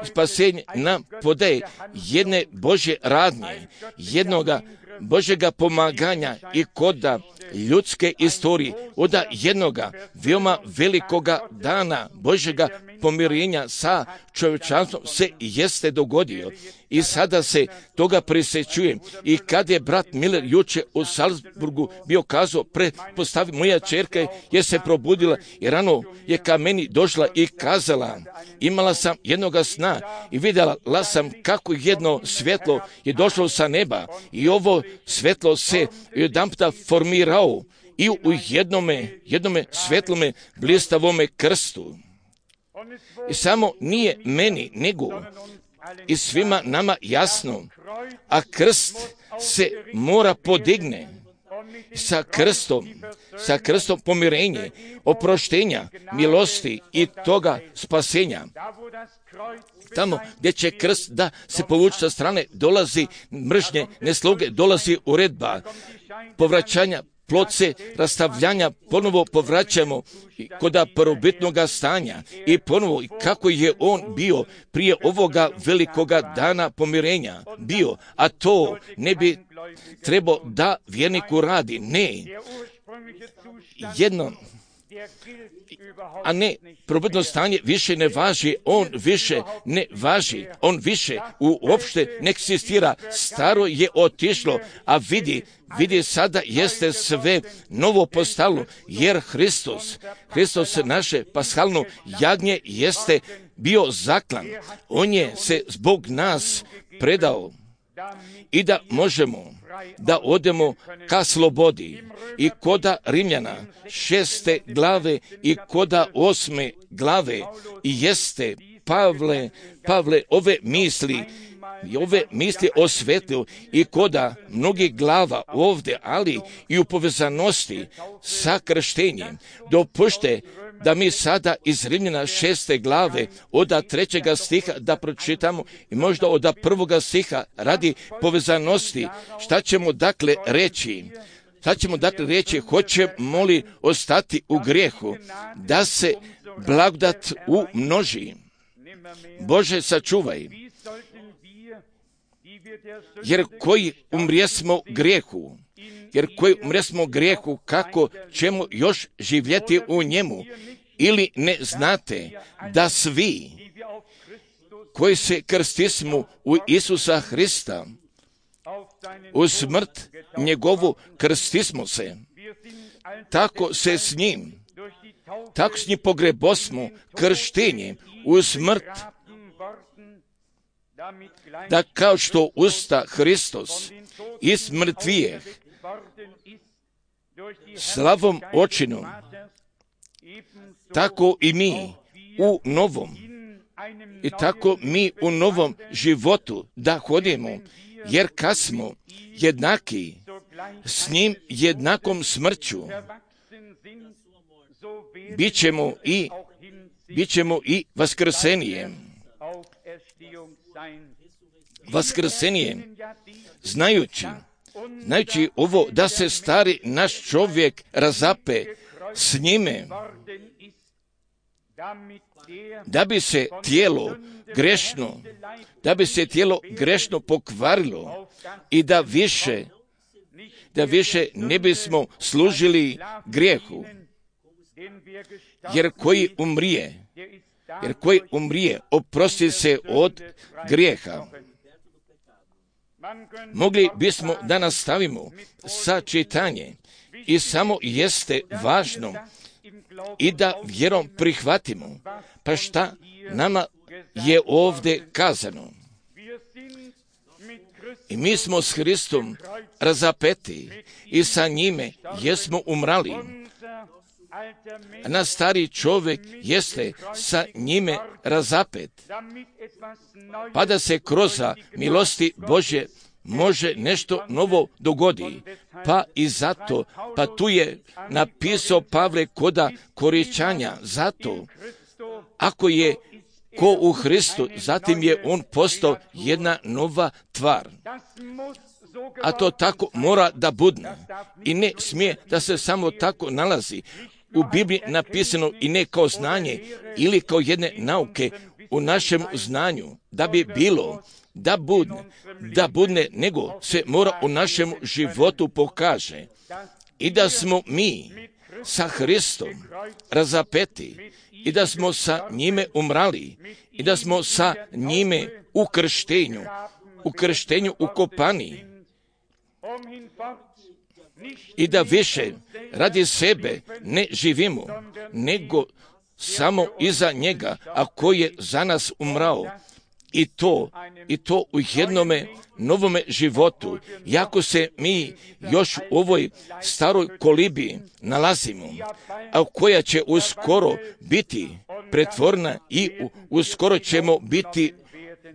spasenje nam podaje jedne Božje radnje, jednoga Božjega pomaganja i koda ljudske istorije, od jednoga veoma velikoga dana Božjega pomirenja sa čovječanstvom se jeste dogodio. I sada se toga prisjećujem. I kad je brat Miller juče u Salzburgu bio kazao, pretpostavi moja čerka je se probudila i rano je ka meni došla i kazala, imala sam jednoga sna i vidjela sam kako jedno svjetlo je došlo sa neba i ovo svjetlo se jedanputa formirao i u jednome, jednome svjetlome blistavome krstu. I samo nije meni, nego i svima nama jasno, a krst se mora podigne sa krstom, sa krstom pomirenje, oproštenja, milosti i toga spasenja. Tamo gdje će krst da se povući sa strane, dolazi mržnje, nesloge, dolazi uredba, povraćanja, plod se rastavljanja, ponovo povraćamo koda prvobitnoga stanja i ponovo kako je on bio prije ovoga velikoga dana pomirenja bio, a to ne bi trebao da vjerniku radi. Ne, jedno, a ne, prvobitno stanje više ne važi, on više ne važi, on više uopšte ne eksistira, staro je otišlo, a vidi, vidi sada jeste sve novo postalo, jer Hristos, Hristos naše pashalno jagnje jeste bio zaklan, on je se zbog nas predao i da možemo da odemo ka slobodi. I koda Rimljana šeste glave i koda osme glave i jeste Pavle, Pavle ove misli, ove misli osvetlio i koda mnogih glava ovdje, ali i u povezanosti sa krštenjem. Dopušte da mi sada iz Rimljana šeste glave od trećega stiha da pročitamo i možda od prvoga stiha radi povezanosti. Šta ćemo dakle reći? Šta ćemo dakle reći? Hoćemo li ostati u grijehu da se blagodat umnoži? Bože, sačuvaj. Jer koji umrijesmo grijehu, jer koji umrijesmo grijehu, kako ćemo još živjeti u njemu? Ili ne znate da svi koji se krstismo u Isusa Hrista, u smrt njegovu krstismo se, tako se s njim, tako s njim pogrebosmo krštenjem u smrt, da kao što usta Hristos iz mrtvijeh slavom očinom, tako i mi u novom i tako mi u novom životu da hodimo, jer kad smo jednaki s njim jednakom smrću, bit ćemo i, bit ćemo i vaskrsenjem. Vaskrsenjem, znajući, znajući ovo da se stari naš čovjek razape s njime, da bi se tijelo grešno, da bi se tijelo grešno pokvarilo i da više, da više ne bismo služili grijehu, jer koji umrije, jer koji umrije oprosti se od grijeha. Mogli bismo da nastavimo sa čitanje i samo jeste važno i da vjerom prihvatimo, pa šta nama je ovdje kazano. I mi smo s Hristom razapeti i sa njime jesmo umrali. A naš stari čovjek jeste sa njime razapet, pa da se kroz milosti Božje može nešto novo dogodi. Pa i zato, pa tu je napisao Pavle koda Koričanja, zato ako je ko u Hristu, zatim je on postao jedna nova tvar. A to tako mora da budne i ne smije da se samo tako nalazi u Bibliji napisano i ne kao znanje ili kao jedne nauke u našem znanju, da bi bilo, da budne, da budne, nego se mora u našem životu pokaže i da smo mi sa Hristom razapeti i da smo sa njime umrali i da smo sa njime u krštenju, u krštenju ukopani i da više radi sebe ne živimo, nego samo iza njega, a koji je za nas umrao. I to, i to u jednome novome životu, jako se mi još u ovoj staroj kolibi nalazimo, a koja će uskoro biti pretvorena i uskoro ćemo biti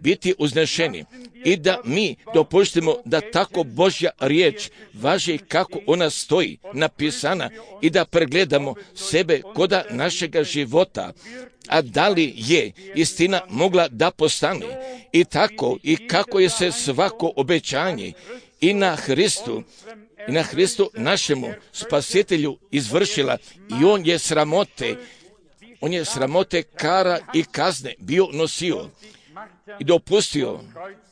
biti uznešeni i da mi dopustimo da tako Božja riječ važi kako ona stoji napisana i da pregledamo sebe koda našega života, a da li je istina mogla da postane i tako i kako je se svako obećanje i na Hristu i na Hristu našemu spasitelju izvršila i on je sramote, on je sramote kara i kazne bio nosio i dopustio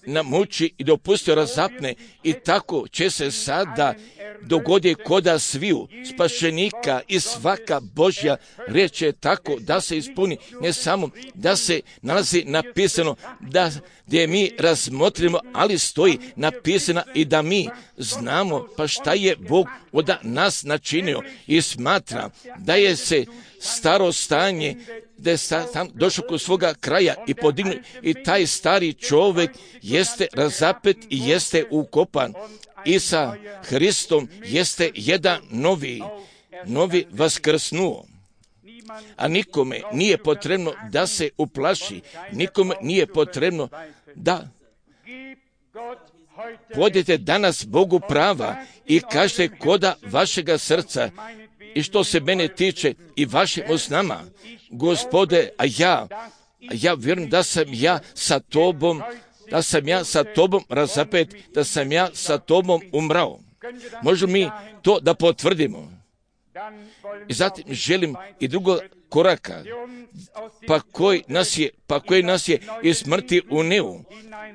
na muči i dopustio razapne i tako će se sada dogodi koda sviju spašenika i svaka Božja riječ je tako da se ispuni, ne samo da se nalazi napisano da gdje mi razmotrimo, ali stoji napisana i da mi znamo pa šta je Bog od nas načinio i smatra da je se staro stanje da je tam došao kod svoga kraja i podignu i taj stari čovjek jeste razapet i jeste ukopan i sa Hristom jeste jedan novi, novi vaskrsnuo. A nikome nije potrebno da se uplaši, nikome nije potrebno da podete danas Bogu prava i kažete koda vašega srca i što se mene tiče i vašim usnama, Gospode, a ja, a ja vjerujem da sam ja sa tobom, da sam ja sa tobom razapet, da sam ja sa tobom umrao. Možemo mi to da potvrdimo. I zatim želim i drugo koraka, pa koji nas je, pa koji nas je iz smrti unio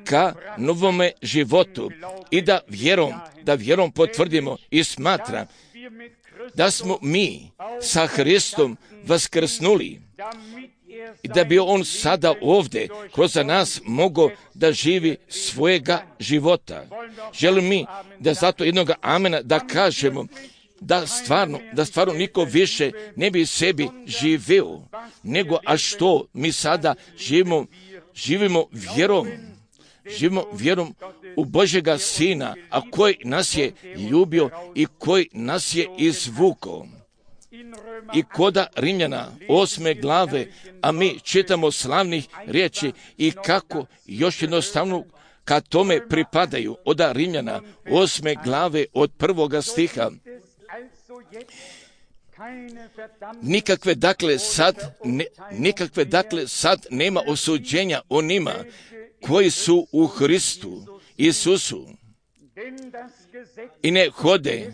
ka novome životu i da vjerom, da vjerom potvrdimo i smatram da smo mi sa Hristom vaskrsnuli i da bi on sada ovdje kroz nas mogao da živi svojega života. Želim mi da zato jednoga amena da kažemo da stvarno, da stvarno niko više ne bi sebi živeo, nego a što mi sada živimo, živimo vjerom, živimo vjerom u Božjega Sina, a koji nas je ljubio i koji nas je izvukao. i koda Rimljana osme glave, a mi čitamo slavnih riječi i kako još jednostavno kad tome pripadaju od Rimljana osme glave od prvoga stiha. Nikakve dakle sad, ne, nikakve dakle sad nema osuđenja onima koji su u Hristu Isusu i ne hode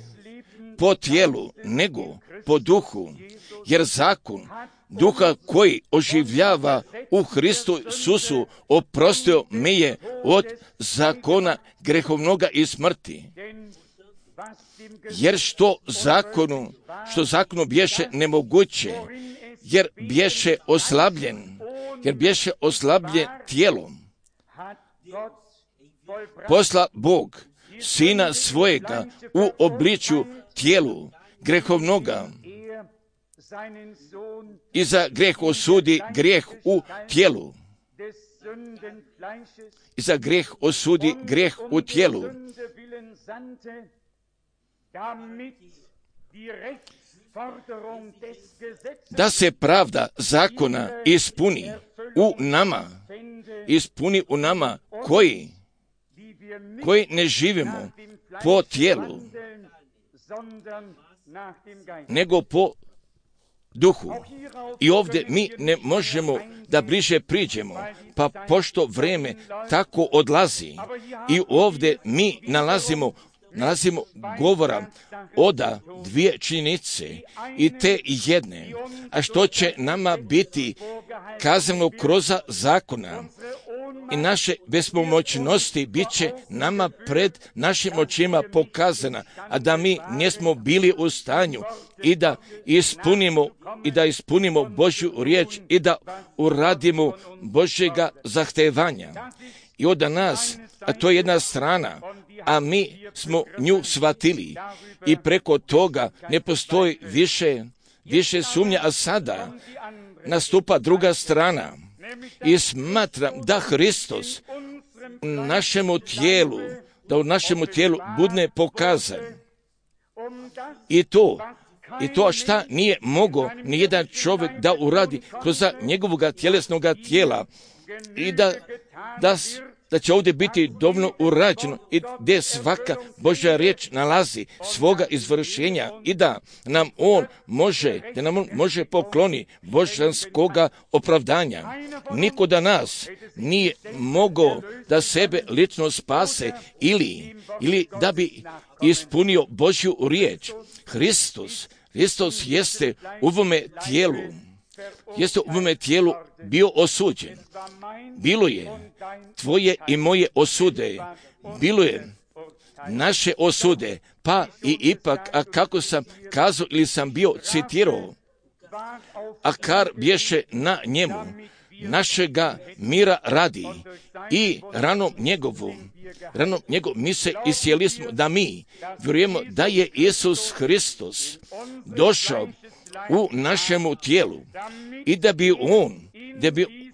po tijelu, nego po duhu, jer zakon duha koji oživljava u Hristu Isusu oprostio me je od zakona grehovnoga i smrti. Jer što zakonu, što zakonu bješe nemoguće, jer bješe oslabljen, jer bješe oslabljen tijelom, posla Bog Sina svojega u obličju tijelu grehovnoga i za grijeh osudi grijeh u tijelu. I za grijeh osudi grijeh u tijelu. Da se pravda zakona ispuni u nama, ispuni u nama koji, koji ne živimo po tijelu, nego po duhu. I ovdje mi ne možemo da bliže priđemo, pa pošto vrijeme tako odlazi i ovdje mi nalazimo nalazimo govora oda dvije činjenice i te jedne, a što će nama biti kazano kroz zakona i naše bespomoćnosti bit će nama pred našim očima pokazana, a da mi nismo bili u stanju i da ispunimo i da ispunimo Božju riječ i da uradimo Božjega zahtevanja. I od nas, a to je jedna strana, a mi smo nju shvatili i preko toga ne postoji više, više sumnja, a sada nastupa druga strana i smatram da Hristos u našemu tijelu, da u našemu tijelu bude pokazan. I to, i to šta nije mogao ni jedan čovjek da uradi kroz njegovog tjelesnog tijela i da, da da će ovdje biti dovoljno urađeno i gdje svaka Božja riječ nalazi svoga izvršenja i da nam on može, da nam on može pokloni božanskoga opravdanja. Niko da nas nije mogao da sebe lično spase ili, ili da bi ispunio Božju riječ. Hristos, Hristos jeste u ovome tijelu, jeste u ovome tijelu bio osuđen. Bilo je tvoje i moje osude, bilo je naše osude, pa i ipak, a kako sam kazao ili sam bio citirao, a kar bješe na njemu, našega mira radi i ranom njegovom, ranom njegovom mi se isjeli smo da mi vjerujemo da je Isus Hristos došao u našemu tijelu i da bi on, da bi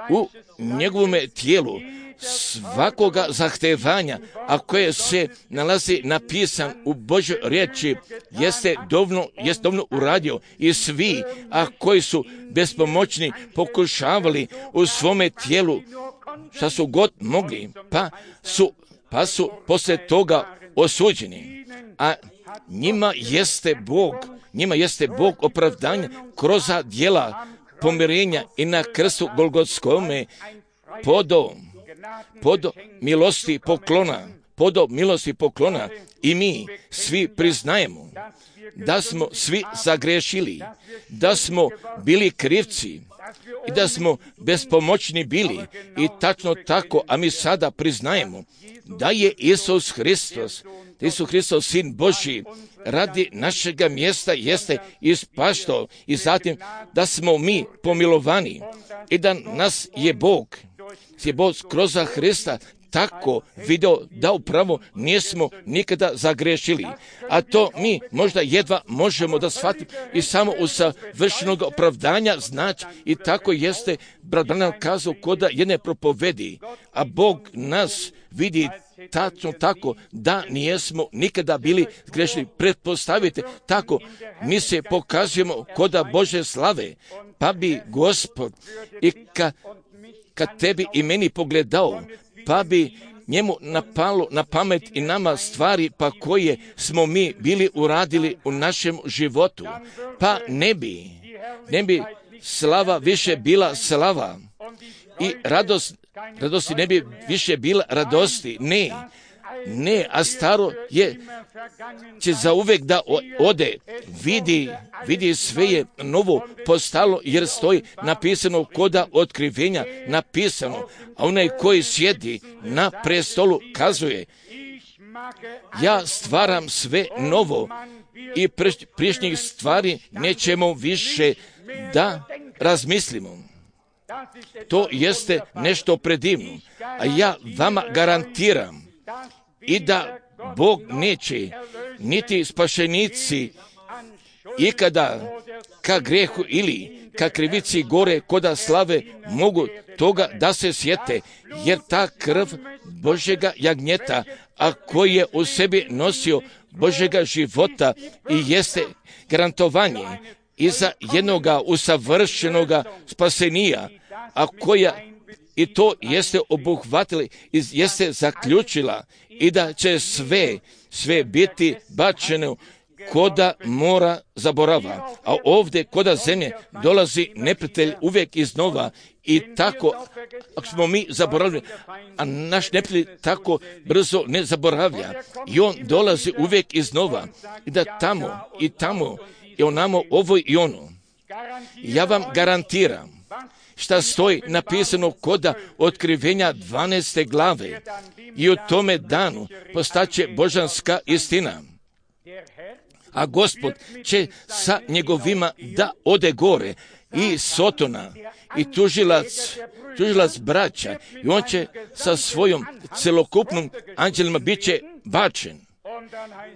u njegovome tijelu svakoga zahtevanja, a koje se nalazi napisan u Božoj riječi, jeste dovoljno, jeste dovoljno uradio i svi, a koji su bespomoćni pokušavali u svome tijelu šta su god mogli, pa su, pa su poslije toga osuđeni. A njima jeste Bog, njima jeste Bog opravdanja kroz djela pomirenja i na krstu Golgotskome podo, podo milosti poklona, podo milosti poklona i mi svi priznajemo da smo svi zagrešili, da smo bili krivci i da smo bespomoćni bili i tačno tako, a mi sada priznajemo da je Isus Hristos, da Isus Hristos, Sin Božji, radi našega mjesta jeste ispaštao i zatim da smo mi pomilovani i da nas je Bog, je Bog kroz Hrista tako video da upravo nismo nikada zagrešili. A to mi možda jedva možemo da shvatimo i samo u savršenog opravdanja znači i tako jeste brat Branham kazao koda jedne propovedi, a Bog nas vidi tačno tako da nijesmo nikada bili grešni. Pretpostavite tako, mi se pokazujemo koda Bože slave, pa bi Gospod i ka, kad tebi i meni pogledao, pa bi njemu napalo na pamet i nama stvari pa koje smo mi bili uradili u našem životu, pa ne bi, ne bi slava više bila slava i radost, radosti ne bi više bila radosti, ne, ne, a staro je će zauvek da ode, vidi, vidi sve je novo postalo jer stoji napisano koda otkrivenja, napisano, a onaj koji sjedi na prestolu kazuje, ja stvaram sve novo i prišnjih stvari nećemo više da razmislimo. To jeste nešto predivno, a ja vama garantiram i da Bog neće, niti spašenici ikada ka grehu ili ka krivici gore koda slave mogu toga da se sjete, jer ta krv Božjega jagnjeta, a koji je u sebi nosio Božjega života i jeste garantovanje i za jednoga usavršenoga spasenija, a koja i to jeste obuhvatila i jeste zaključila i da će sve, sve biti bačeno koda mora zaborava. A ovdje koda zemlje dolazi neprijatelj uvijek iznova i tako, ako smo mi zaboravili, a naš neprijatelj tako brzo ne zaboravlja i on dolazi uvijek iznova i da tamo i tamo i onamo ovo i ono. Ja vam garantiram šta stoji napisano koda otkrivenja dvanaeste glave i u tome danu postaće božanska istina. A Gospod će sa njegovima da ode gore i Sotona i tužilac, tužilac braća i on će sa svojom celokupnom anđelima bit će bačen.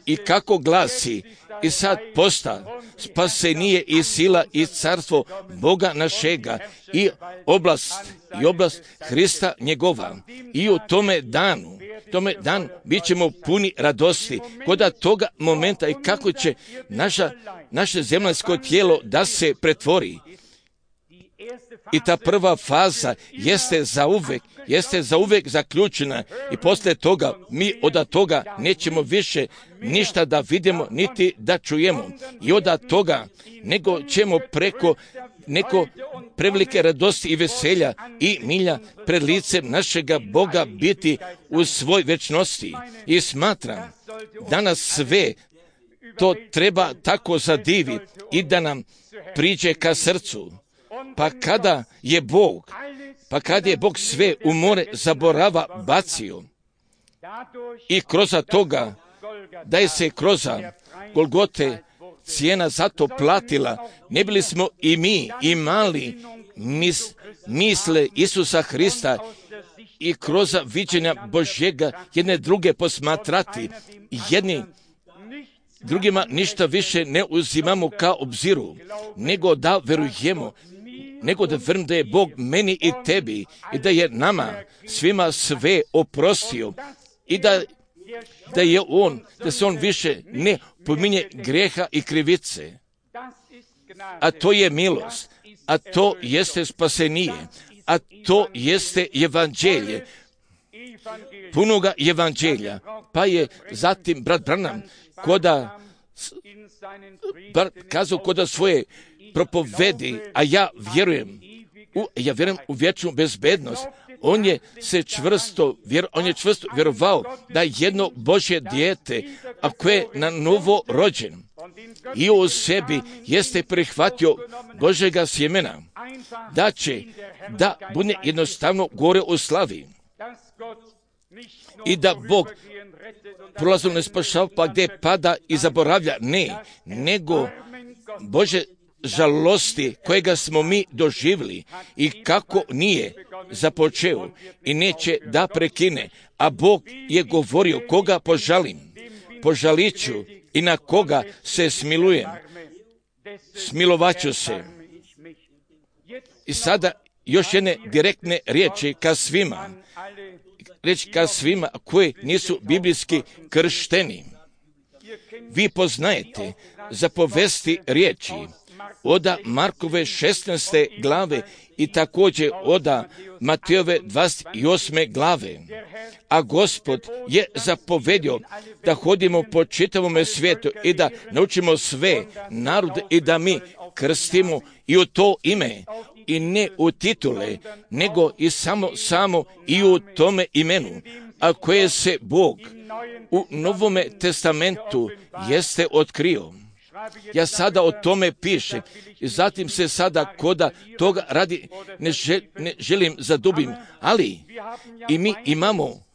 I kako glasi, i sad posta spasenije i sila i carstvo Boga našega i oblast, i oblast Hrista njegova. I u tome danu, tome danu bit ćemo puni radosti koda toga momenta i kako će naša, naše zemaljsko tijelo da se pretvori. I ta prva faza jeste zauvek, jeste zauvek zaključena i poslije toga mi od toga nećemo više ništa da vidimo niti da čujemo. I od toga nego ćemo preko neko prevelike radosti i veselja i milja pred licem našega Boga biti u svoj večnosti. I smatram da nas sve to treba tako zadivi i da nam priđe ka srcu. Pa kada je Bog, pa kada je Bog sve u more zaborava bacio i kroz toga da je se kroz Golgote cijena zato platila, ne bili smo i mi imali mis, misle Isusa Hrista i kroz viđenja Božjega jedne druge posmatrati, jedni drugima ništa više ne uzimamo kao obziru, nego da verujemo, nego da verujem da je Bog meni i tebi i da je nama svima sve oprostio i da, da je On, da se On više ne pominje greha i krivice. A to je milost, a to jeste spasenije, a to jeste evanđelje, punoga evanđelja. Pa je zatim brat Branham koda kazao koda svoje propovedi, a ja vjerujem, u, ja vjerujem u vječnu bezbednost. On je se čvrsto, vjer, on je čvrsto vjerovao da jedno Božje dijete, a koje je na novo rođen i u sebi jeste prihvatio Božjega sjemena, da će da bude jednostavno gore u slavi i da Bog prolazom ne spašava pa gdje pada i zaboravlja, ne, nego Bože žalosti kojega smo mi doživjeli i kako nije započeo i neće da prekine, a Bog je govorio koga požalim, požalit ću i na koga se smilujem, smilovat ću se. I sada još jedne direktne riječi ka svima, reći ka svima koji nisu biblijski kršteni. Vi poznajete zapovesti riječi oda Markove šesnaeste glave i također oda Matejove dvadeset osme glave. A Gospod je zapovedio da hodimo po čitavom svijetu i da naučimo sve narode i da mi krstimo i u to ime i ne u titule, nego i samo, samo i u tome imenu, a koje se Bog u Novome testamentu jeste otkrio. Ja sada o tome pišem i zatim se sada koda toga radi ne, žel, ne želim zadubim, ali i mi imamo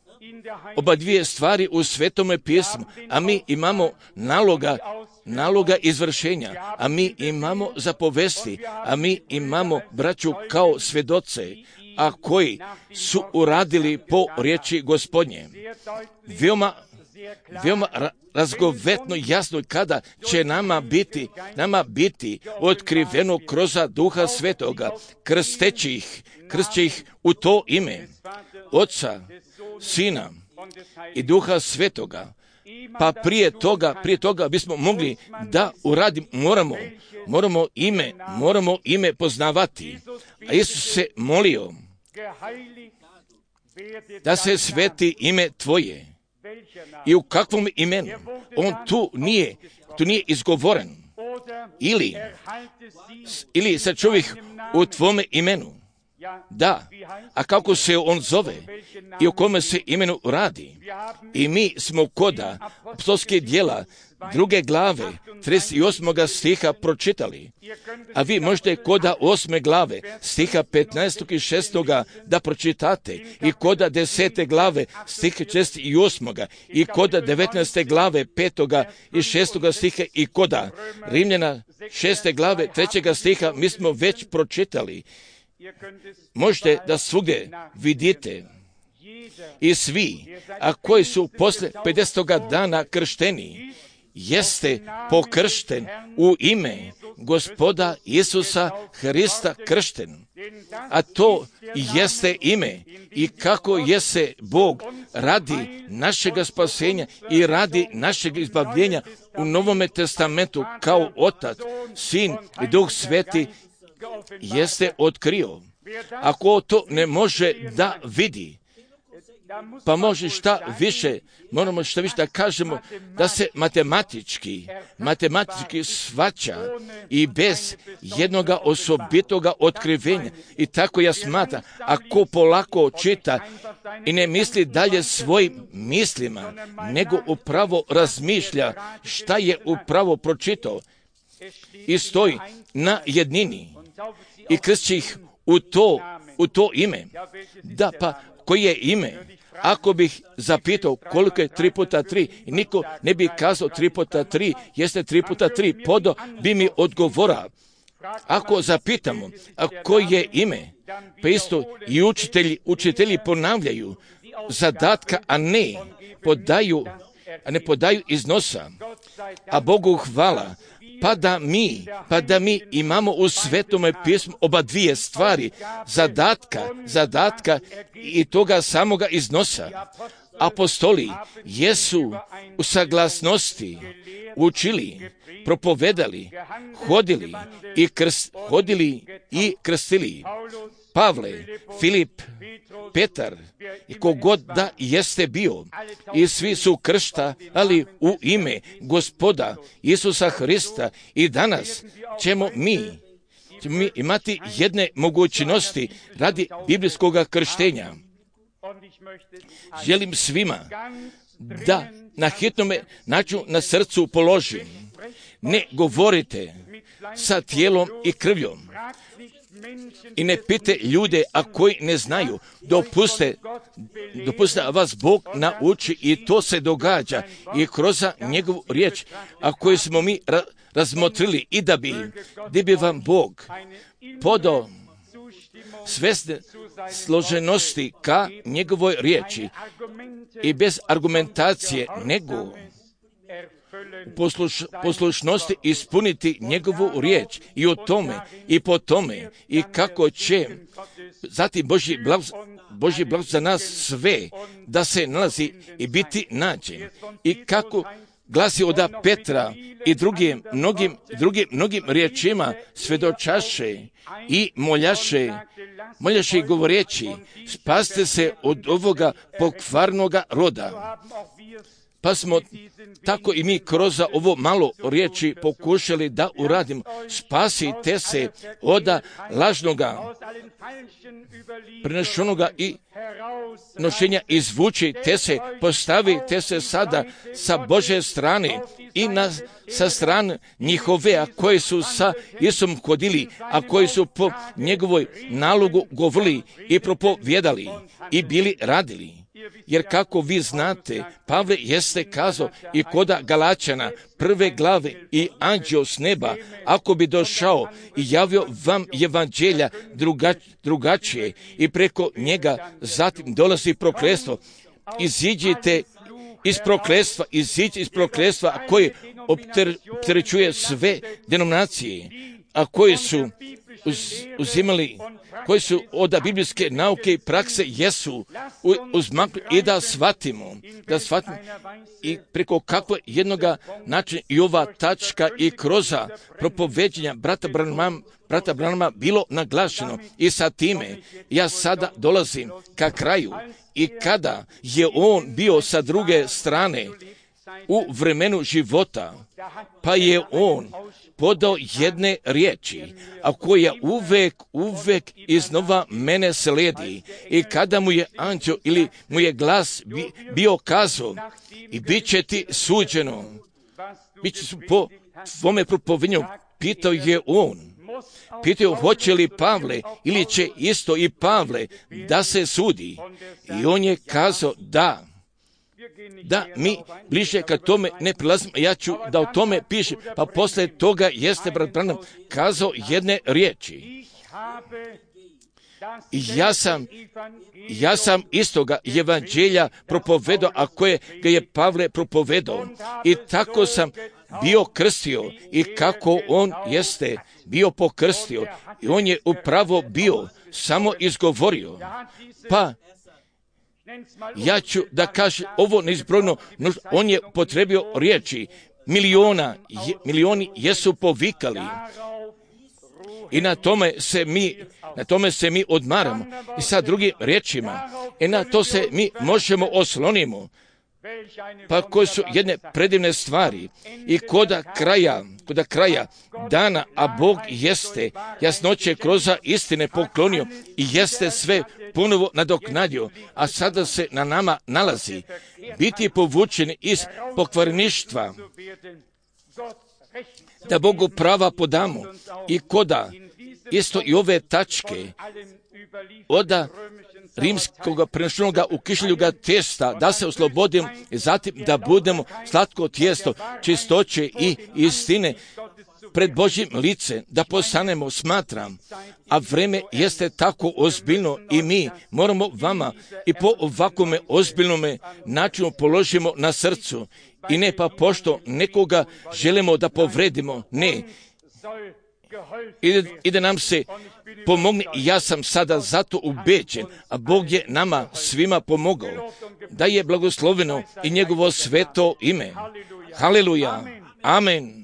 oba dvije stvari u Svetome pismu, a mi imamo naloga, naloga izvršenja, a mi imamo zapovesti, a mi imamo braću kao svedoce, a koji su uradili po riječi Gospodnje. Veoma, veoma razgovetno jasno kada će nama biti, nama biti otkriveno kroz Duha Svetoga, krsteći ih, krsteći ih u to ime Oca, Sina i Duha Svetoga. Pa prije toga, prije toga bismo mogli da uradimo, moramo, moramo ime, moramo ime poznavati. A Isus se molio da se sveti ime Tvoje. I u kakvom imenu? On tu nije, tu nije izgovoren. Ili, ili sa čovjek u Tvome imenu. Da, a kako se on zove i o kome se imenu radi? I mi smo koda apostolske djela druge glave trideset osmog stiha pročitali. A vi možete koda osme glave stiha petnaestog i šestog da pročitate i koda desete glave stiha šest i osmog i koda devetnaeste glave petoga i šestoga stiha i koda Rimljana šeste glave trećega stiha mi smo već pročitali. Možete da svugdje vidite i svi, a koji su posle pedesetoga dana kršteni, jeste pokršten u ime Gospoda Isusa Hrista kršten. A to jeste ime i kako jeste Bog radi našega spasenja i radi našeg izbavljenja u Novome testamentu kao Otac, Sin i Duh Sveti jeste otkrio. Ako to ne može da vidi, pa može šta više, moramo šta više da kažemo, da se matematički, matematički svaća i bez jednoga osobitoga otkrivenja. I tako ja smatram, ako polako čita i ne misli dalje svojim mislima, nego upravo razmišlja šta je upravo pročitao i stoji na jednini i krsti ih u to, u to ime. Da, pa koje je ime? Ako bih zapitao koliko je tri puta tri, niko ne bi kazao tri puta tri, jeste tri puta tri, podo bi mi odgovora. Ako zapitamo, a koje je ime? Pa isto i učitelji, učitelji ponavljaju zadatka, a ne podaju, a ne podaju iznosa. A Bogu hvala, pa da mi, pa da mi imamo u Svetome pismu oba dvije stvari, zadatka, zadatka i toga samoga iznosa. Apostoli jesu u saglasnosti učili, propovedali, hodili i krst, hodili i krstili. Pavle, Filip, Petar i kogod da jeste bio, i svi su kršta, ali u ime Gospoda Isusa Hrista. I danas ćemo mi, ćemo mi imati jedne mogućnosti radi biblijskog krštenja. Želim svima da na hitnome načinu na srcu položim. Ne govorite sa tijelom i krvljom. I ne pite ljude, a koji ne znaju, dopuste, dopuste da vas Bog nauči i to se događa i kroz njegovu riječ, a koju smo mi ra- razmotrili i da bi, da bi vam Bog podao svesne složenosti ka njegovoj riječi i bez argumentacije nego posluš, poslušnosti ispuniti njegovu riječ i o tome i po tome i kako će zatim Božji blagoslov Božji blagoslov za nas sve da se nalazi i biti nađen i kako glasi od Petra i drugim mnogim, drugim, mnogim riječima svedočaše i moljaše, moljaše i govoreći, spasite se od ovoga pokvarnoga roda. Pa smo tako i mi kroz ovo malo riječi pokušali da uradimo. Spasite se od lažnoga, prenešenoga i nošenja, izvučite se, postavite se sada sa Božje strane i na, sa strane njihove, a koji su sa Isusom hodili, a koji su po njegovoj nalogu govorili i propovjedali i bili radili. Jer kako vi znate, Pavle jeste kazao i koda Galačana prve glave i anđeo s neba, ako bi došao i javio vam evanđelja druga, drugačije i preko njega zatim dolazi prokletstvo, iziđite iz prokletstva, iziđite iz prokletstva koje opterećuje sve denominacije, a koje su uz, uzimali, koji su od biblijske nauke i prakse jesu uzmakli i da shvatimo, da shvatimo i preko kakve jednoga načina i ova tačka i kroz propoveđenja brata Branhama, brata Branhama bilo naglašeno i sa time ja sada dolazim ka kraju i kada je on bio sa druge strane u vremenu života, pa je on podao jedne riječi, a koja uvek, uvek iznova mene slijedi. I kada mu je anđeo ili mu je glas bi, bio kazao i bit će ti suđeno, bit će po tvome propovednju, pitao je on. Pitao hoće li Pavle ili će isto i Pavle da se sudi. I on je kazao da. Da mi bliže ka tome ne prilazimo, ja ću da o tome pišem, pa posle toga jeste brat Branham kazao jedne riječi. I ja sam, ja sam istoga evanđelja propovedao, a koje ga je Pavle propovedao. I tako sam bio krstio i kako on jeste bio pokrstio. I on je upravo bio samo izgovorio. Pa ja ću da kažem ovo neizbrojno, on je potrebio riječi, miliona, je, milioni jesu povikali i na tome se mi, na tome se mi odmaramo i sa drugim riječima i na to se mi možemo oslonimo. Pa koje su jedne predivne stvari i koda kraja, koda kraja dana, a Bog jeste jasnoće kroz istine poklonio i jeste sve ponovo nadoknadio, a sada se na nama nalazi biti povučeni iz pokvarništva, da Bogu prava podamo i koda isto i ove tačke oda rimskog prenešenoga u kišljuga testa, da se oslobodimo i zatim da budemo slatko tijesto čistoće i istine pred Božjim licem, da postanemo, smatram, a vreme jeste tako ozbiljno i mi moramo vama i po ovakvome ozbiljnome načinu položimo na srcu i ne pa pošto nekoga želimo da povredimo, ne, i, i da nam se pomogne i ja sam sada zato ubeđen, a Bog je nama svima pomogao, da je blagosloveno i njegovo sveto ime. Haleluja. Amen.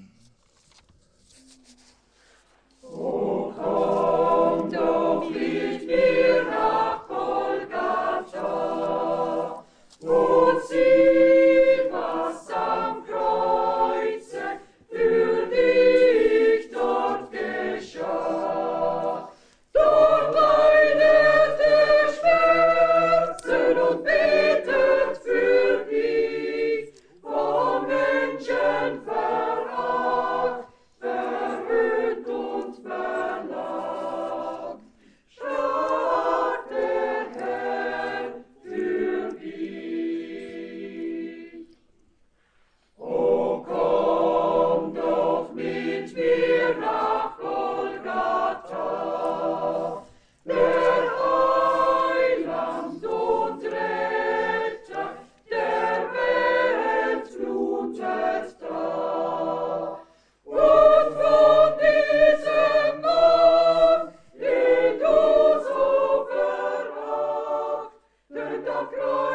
Menschen verraten.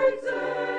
kreuze